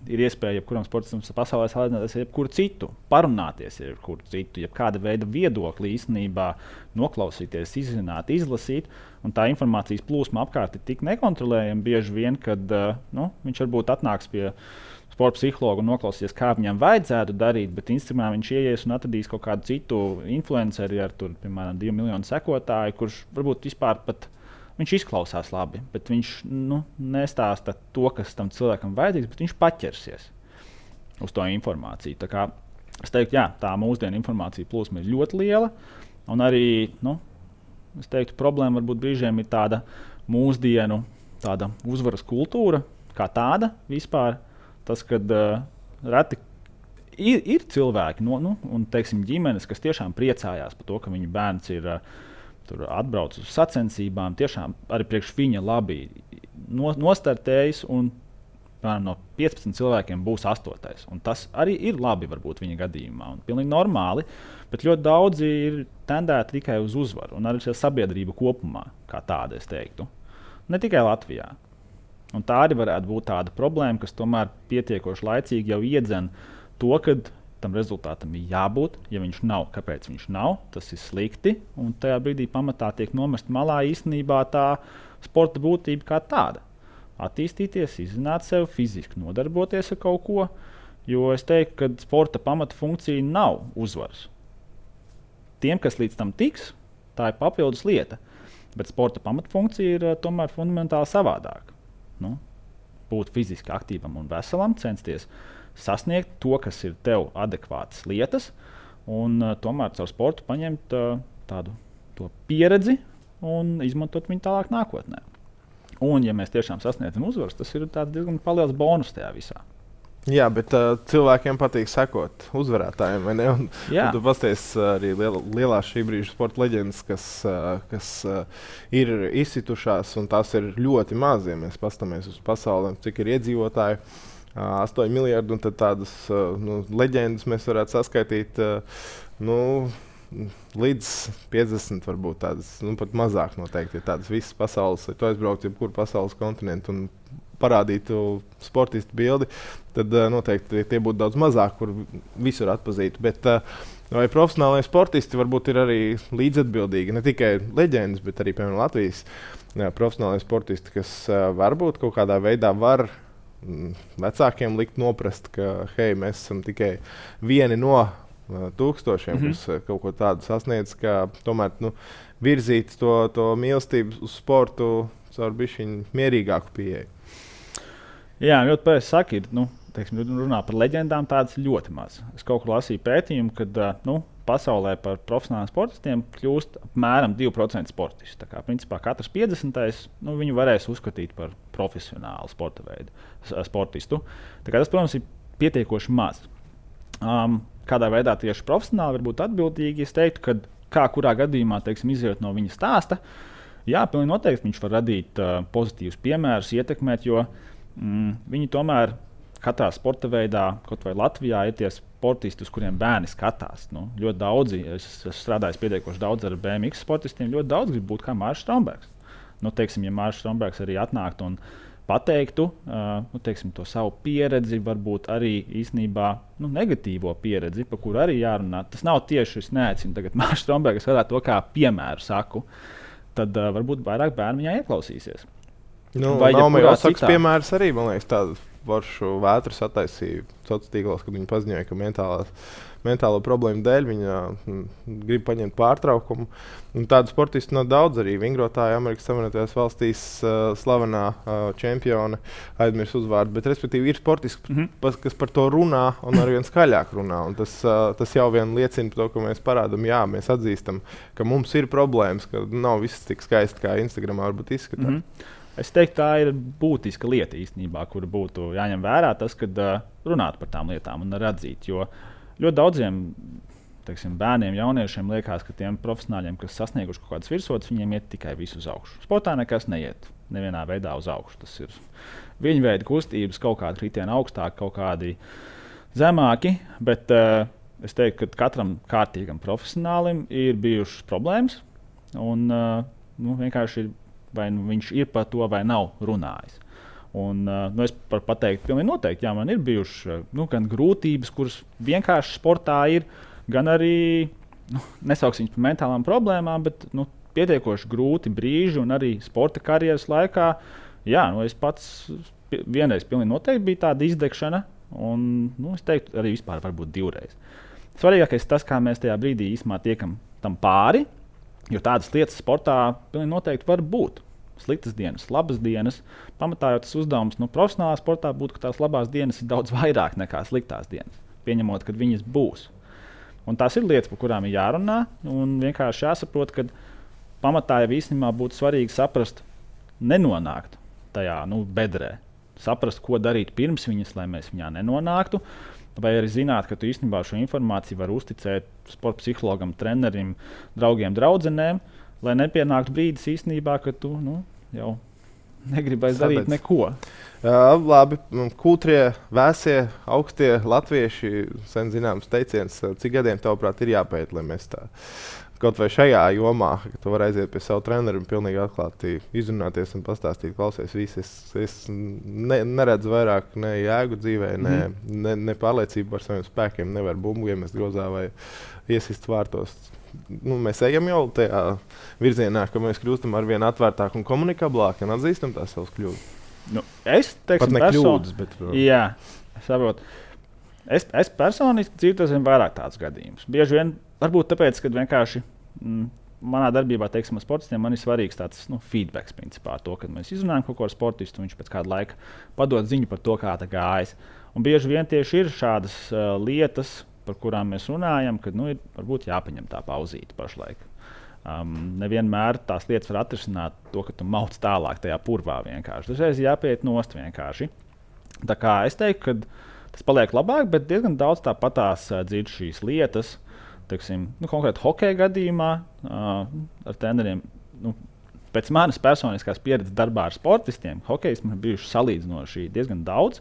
ir iespēja jebkuram sportistam pasaulē salīdzināties ar jebkuru citu, parunāties ar jebkuru citu, jebkāda veida viedokli īstenībā noklausīties, izzināt, izlasīt. Un tā informācijas plūsma apkārt ir tik nekontrolējama bieži vien, kad viņš varbūt atnāks pie sporta psihologa un noklausīsies, kā viņam vajadzētu darīt, bet Instagramā viņš ieies un atradīs kaut kādu citu influenceri ar, piemēram, 2 miljonu sekotāju, kurš varbūt vispār pat viņš izklausās labi, bet viņš nestāsta to, kas tam cilvēkam vajadzīgs, bet viņš paķersies uz to informāciju. Tā kā es teiktu, tā mūsdienu informācija plūsma ir ļoti liela, un arī, es teiktu, problēma varbūt brīžiem ir tāda mūsdienu tāda uzvaras kultūra, kā tāda vispār. Tas, kad reti ir cilvēki un, teiksim, ģimenes, kas tiešām priecājās par to, ka viņu bērns ir atbrauc uz sacensībām, tiešām arī priekš viņa labi nostartējis, un no 15 cilvēkiem būs 8. Un tas arī ir labi varbūt viņa gadījumā, un pilnīgi normāli, bet ļoti daudzi ir tendēti tikai uz uzvaru, un arī sabiedrība kopumā, kā tāda, es teiktu. Ne tikai Latvijā. Un tā arī varētu būt tāda problēma, kas tomēr pietiekoši laicīgi jau iedzen to, kad tam rezultātam ir jābūt. Ja viņš nav, kāpēc viņš nav, tas ir slikti. Un tajā brīdī pamatā tiek nomest malā īstenībā tā sporta būtība kā tāda. Attīstīties, izzināt sevi, fiziski nodarboties ar kaut ko. Jo es teiktu, ka sporta pamata funkcija nav uzvaras. Tiem, kas līdz tam tiks, tā ir papildus lieta. Bet sporta pamata funkcija ir tomēr fundamentāli savādāka. Būt fiziski aktīvam un veselam, censties sasniegt to, kas ir tev adekvātas lietas, un tomēr caur sportu paņemt to pieredzi un izmantot viņu tālāk nākotnē. Un, ja mēs tiešām sasniedzam uzvaras, tas ir diezgan liels bonus tajā visā. Jā, bet cilvēkiem patīk sekot uzvarētājiem, vai ne? Un tu pasties arī lielās šī brīža sporta leģendas, kas ir izsitušās, un tās ir ļoti maz, ja mēs paskatāmies uz pasauli, cik ir iedzīvotāji. 8 miljardi, un tad tādas leģendas mēs varētu saskaitīt līdz 50, varbūt tādas, pat mazāk noteikti. Tādas visas pasaules, ja tu aizbrauc jebkuru pasaules kontinentu un parādītu sportistu bildi, tad noteikti tie būtu daudz mazāk, kur visur atpazītu. Bet vai profesionālajie sportisti varbūt ir arī līdzatbildīgi, ne tikai leģendas, bet arī, piemēram, Latvijas profesionālajie sportisti, kas varbūt kaut kādā veidā var vecākiem likt noprast, ka hei, mēs esam tikai vieni no tūkstošiem, kas kaut ko tādu sasniedz, ka tomēr virzīt to mīlestību uz sportu caur bišķiņu mierīgāku pieeju. Jā, ļoti pareizi saki, runā par leģendām, tādas ļoti maz. Es kaut kur lasīju pētījumu, kad pasaulē par profesionāliem sportistiem kļūst apmēram 2% sportistu. Tā kā principā katrs 50. Viņu varēs uzskatīt par profesionālu sportistu. Tā kā tas, protams, ir pietiekoši maz. Kādā veidā tieši profesionāli var būt atbildīgi, es teiktu, ka kā kurā gadījumā, izejot no viņa stāsta, jā, pilnīgi noteikti viņš var radīt pozitīvus piemērus, ietekmēt, jo viņi tomēr katrā sporta veidā, kaut vai Latvijā, ir tie sportisti, uz kuriem bērni skatās. Ļoti daudzi, es strādāju pietiekoši daudz ar BMX sportistiem, ļoti daudz grib būt kā Mārcis Strombergs. Ja Mārcis Strombergs arī atnāktu un pateiktu to savu pieredzi, varbūt arī īstenībā negatīvo pieredzi, par kuru arī jārunā. Tas nav tieši, es neaicinu tagad Mārcis Strombergs, es varētu to kā piemēru saku, tad varbūt vairāk bērni viņā ieklausīsies. Naomi Osaka piemērs arī, man liekas, tāda foršu vētru sataisīja sociālos tīklos, kad viņi paziņoja, ka mentālo problēmu dēļ viņa grib paņemt pārtraukumu. Un tādu sportistu nav daudz arī. Vingrotāja Amerikas Savienotajās valstīs slavenā čempione aizmirs uzvārdu. Bet, respektīvi, ir sportisti, kas par to runā un arvien skaļāk runā. Un tas jau vien liecina par to, ka mēs parādām, jā, mēs atzīstam, ka mums ir problēmas, ka nav viss tik skaisti, kā Instagramā varbūt izskatās. Es teiktu, tā ir būtiska lieta īstenībā, kur būtu jāņem vērā tas, kad runāt par tām lietām un atzīt. Jo ļoti daudziem bērniem, jauniešiem liekas, ka tiem profesionāļiem, kas sasnieguši kaut kādas virsotnes, viņiem iet tikai visu uz augšu. Sportā nekas neiet nevienā veidā uz augšu. Tas ir viņa veida kustības, kaut kādi kritieni augstāk, kaut kādi zemāki. Bet es teiktu, ka katram kārtīgam profesionālim ir bijušas problēmas. Un vienkārši ir. Vai viņš ir par to vai nav runājis. Un, es varu pateikt, pilnīgi noteikti, jā, man ir bijušas gan grūtības, kuras vienkārši sportā ir, gan arī, nesauksim par mentālām problēmām, bet pietiekoši grūti brīži un arī sporta karjeras laikā. Jā, es pats vienreiz pilnīgi noteikti bija tāda izdegšana, un es teiktu, arī vispār varbūt divreiz. Svarīgākais tas, kā mēs tajā brīdī īsumā tiekam tam pāri. Jo tādas lietas sportā pilnīgi noteikti var būt. Sliktas dienas, labas dienas. Pamatā jau tas uzdevums profesionālā sportā būtu, ka tās labās dienas ir daudz vairāk nekā sliktās dienas. Pieņemot, ka viņas būs. Un tās ir lietas, par kurām ir jārunā. Un vienkārši jāsaprot, ka pamatā jau īstenībā būtu svarīgi saprast, nenonākt tajā bedrē. Saprast, ko darīt pirms viņas, lai mēs viņā nenonāktu. Vai arī zināt, ka tu īstenībā šo informāciju vari uzticēt sporta psihologam, trenerim, draugiem, draudzenēm, lai nepienāktu brīdis īstenībā, ka tu jau negribi darīt neko. Labi, kūtrie, vēsie, augstie latvieši, sen zināms teiciens, cik gadiem tavuprāt ir jāpēt, lai mēs tā kaut vai šajā jomā, ka tu vari aiziet pie savu treneru un pilnīgi atklāti izrunāties un pastāstīt, klausies, es neredzu vairāk ne jēgu dzīvē, ne pārliecību par saviem spēkiem, nevar bumbu iemest grozā vai iesist vārtos. Mēs ejam jau tajā virzienā, ka mēs kļūstam arvien atvērtāk un komunikablāk un atzīstam tās savas kļūdas. Es teiktu, pat ne kļūdas, bet... Jā, saprotu. Es personiski dzīvoju vairāk tādus gadījumus. Bieži vien, varbūt tāpēc, ka vienkārši manā darbībā, teiksim, ar sportistiem, man ir svarīgs tāds feedbacks principā ar to, kad mēs izrunājam kaut ko ar sportistu, viņš pēc kāda laika padod ziņu par to, kā tā gājas. Un bieži vien tieši ir šādas lietas, par kurām mēs runājam, kad ir varbūt jāpaņem tā pauzīte pašlaik. Nevienmēr tās lietas var atrisināt to, ka tu mauc tālāk tajā purvā vienkārši. Dažreiz jāpiet nost vienkārši. Tā kā es teiktu, ka tas paliek labāk, bet diezgan daudz tāpatās dzird šīs lietas. Teiksim, konkrēti hokeja gadījumā ar treneriem. Pēc manas personiskās pieredzes darbā ar sportistiem, hokejs man ir bijuši salīdzinoši diezgan daudz,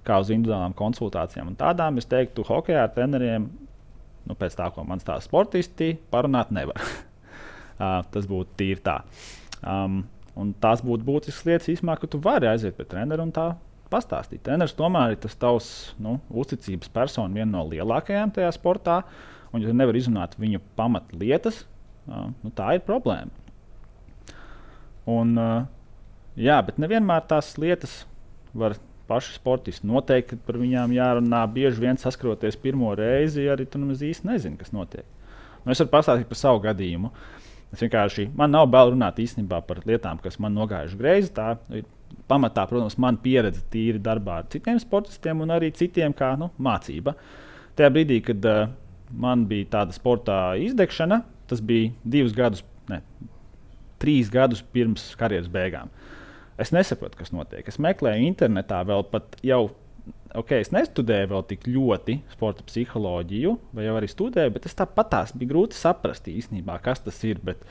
kā uz individuālām konsultācijām. Un tādām es teiktu, hokejā ar treneriem, pēc tā, ko man stāsta sportisti, parunāt nevar. Tas būtu tīri tā. Un tās būtu būtiskas lietas īstenībā, ka tu vari aiziet pie trenera un tā pastāstīt. Treneris tomēr ir tas tavs uzticības persona, viena no lielākajām tajā sportā. Un, ja tu nevari izrunāt viņu pamatlietas, tā ir problēma. Un, jā, bet nevienmēr tās lietas var paši sportisti noteikt, ka par viņām jārunā. Bieži vien saskaroties pirmo reizi, arī tu nemaz īsti nezini, kas notiek. Es varu pastāstīt par savu gadījumu. Man nav bail runāt īstenībā par lietām, kas man nogājuši greizi. Tā ir pamatā, protams, man pieredze tīri darbā ar citiem sportistiem un arī citiem kā mācība. Tajā brīdī, kad man bija tāda sportā izdegšana, tas bija 3 gadus pirms karjeras beigām. Es nesaprotu, kas notiek. Es meklēju internetā vēl pat jau, es nestudēju vēl tik ļoti sporta psiholoģiju, vai jau arī studēju, bet es tāpatās bija grūti saprast īstenībā, kas tas ir. Bet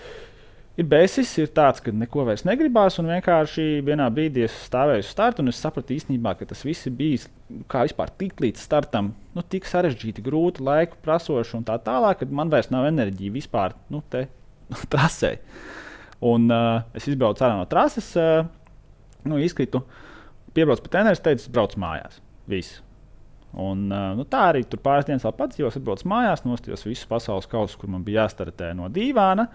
ir bēsis, ir tāds, ka neko vairs negribās, un vienkārši vienā brīdī es stāvēju uz starta, un es sapratu īstenībā, ka tas viss ir bijis kā vispār tik līdz startam, tik sarežģīti, grūti, laiku prasoši un tā tālāk, kad man vairs nav enerģija vispār te trasē. Un es izbraucu ārā no trases, izkritu, piebraucu pie treneris, teicu, braucu mājās. Viss. Un, tā arī tur pāris dienas vēl padzīvos, atbraucu mājās, nostījos visus pasaules kausus, kur man bija jāstartē no dīvāna.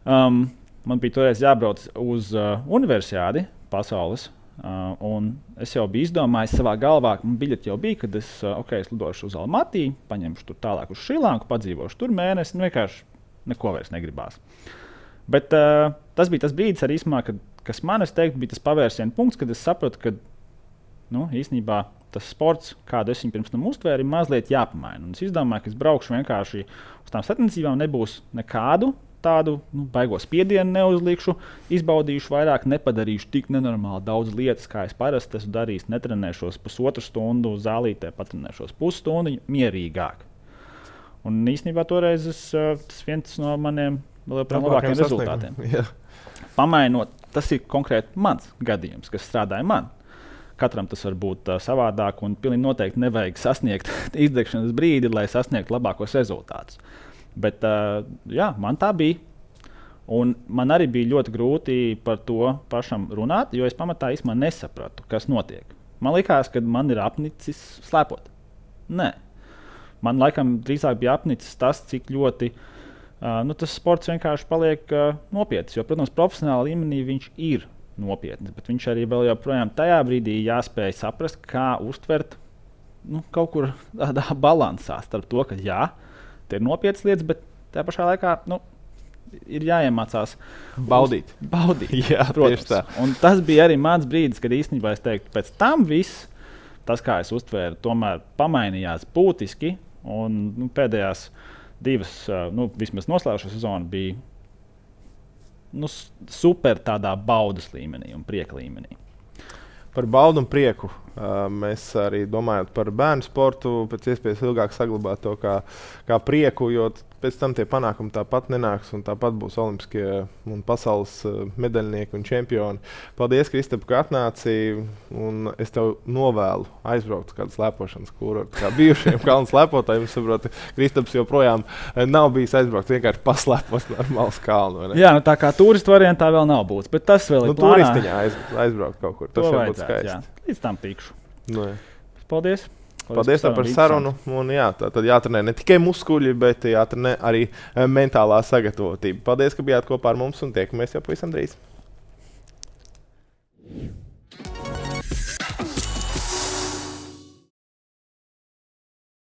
Man bija toreiz jābrauc uz universiādi pasaules Un es jau biju izdomājis savā galvā, ka man biļete jau bija, kad es lidošu uz Almatī, paņemšu tur tālāk uz Šrilanku, padzīvošu tur mēnesi, vienkārši neko vairs negribās. Bet tas bija tas brīdis, arī īsumā, kas man, es teiktu, bija tas pavērsiena punkts, kad es sapratu, ka īstenībā tas sports, kādu es viņu pirms tam uztvēru, ir mazliet jāpamaina. Un es izdomāju, ka es braukšu vienkārši uz tām sacensībām, nebūs nekādu tādu baigo spiedienu neuzlikšu, izbaudīšu vairāk, nepadarīšu tik nenormāli daudz lietas, kā es parasti esmu darījis, netrenēšos pusotru stundu zālītē, patrenēšos pusstundu mierīgāk. Un īstenībā toreiz tas viens no maniem labākajiem rezultātiem. Pamainot, tas ir konkrēti mans gadījums, kas strādāja man. Katram tas var būt savādāk, un pilnīgi noteikti nevajag sasniegt izdegšanas brīdi, lai sasniegtu labākos rezultātus. Bet man tā bija. Un man arī bija ļoti grūti par to pašam runāt, jo es pamatā īstenībā nesapratu, kas notiek. Man likās, ka man ir apnicis slēpot. Nē. Man laikam drīzāk bija apnicis tas, cik ļoti tas sports vienkārši paliek nopietns. Jo, protams, profesionālā līmenī viņš ir nopietns, bet viņš arī vēl joprojām tajā brīdī jāspēj saprast, kā uztvert kaut kur tādā balansā starp to, ka tie ir nopietnas lietas, bet tajā pašā laikā ir jāiemācās baudīt. Jā, protams. Un tas bija arī mans brīdis, kad īstenībā es teiktu, pēc tam viss, tas, kā es uztvēru, tomēr pamainījās būtiski. Un pēdējās divas, vismaz noslēgušā sezona bija super tādā baudas līmenī un prieka līmenī. Par baudu un prieku mēs arī domājam par bērnu sportu, pēc iespējas ilgāk saglabāt to kā prieku, jo pēc tam tie panākumi tāpat nenāks un tāpat būs olimpiskie un pasaules medaļnieki un čempioni. Paldies, Kristap, ka atnāci, un es tev novēlu aizbraukt uz kādu slēpošanas kurortu. Kā bijušiem kalnu slēpotājiem, saprotu, Kristaps joprojām nav bijis aizbraukt, vienkārši paslēpos normāls kalnu. Jā, tā kā turistu variantā vēl nav būts, bet tas vēl ir plānā. Turistiņā aizbraukt kaut kur, tas jau būtu skaisti. Jā. Līdz tam tikšu. Paldies par sarunu. Un, tad jātrenē ne tikai muskuļi, bet jātrenē arī mentālā sagatavotība. Paldies, ka bijāt kopā ar mums un tiekamies jau pavisam drīz.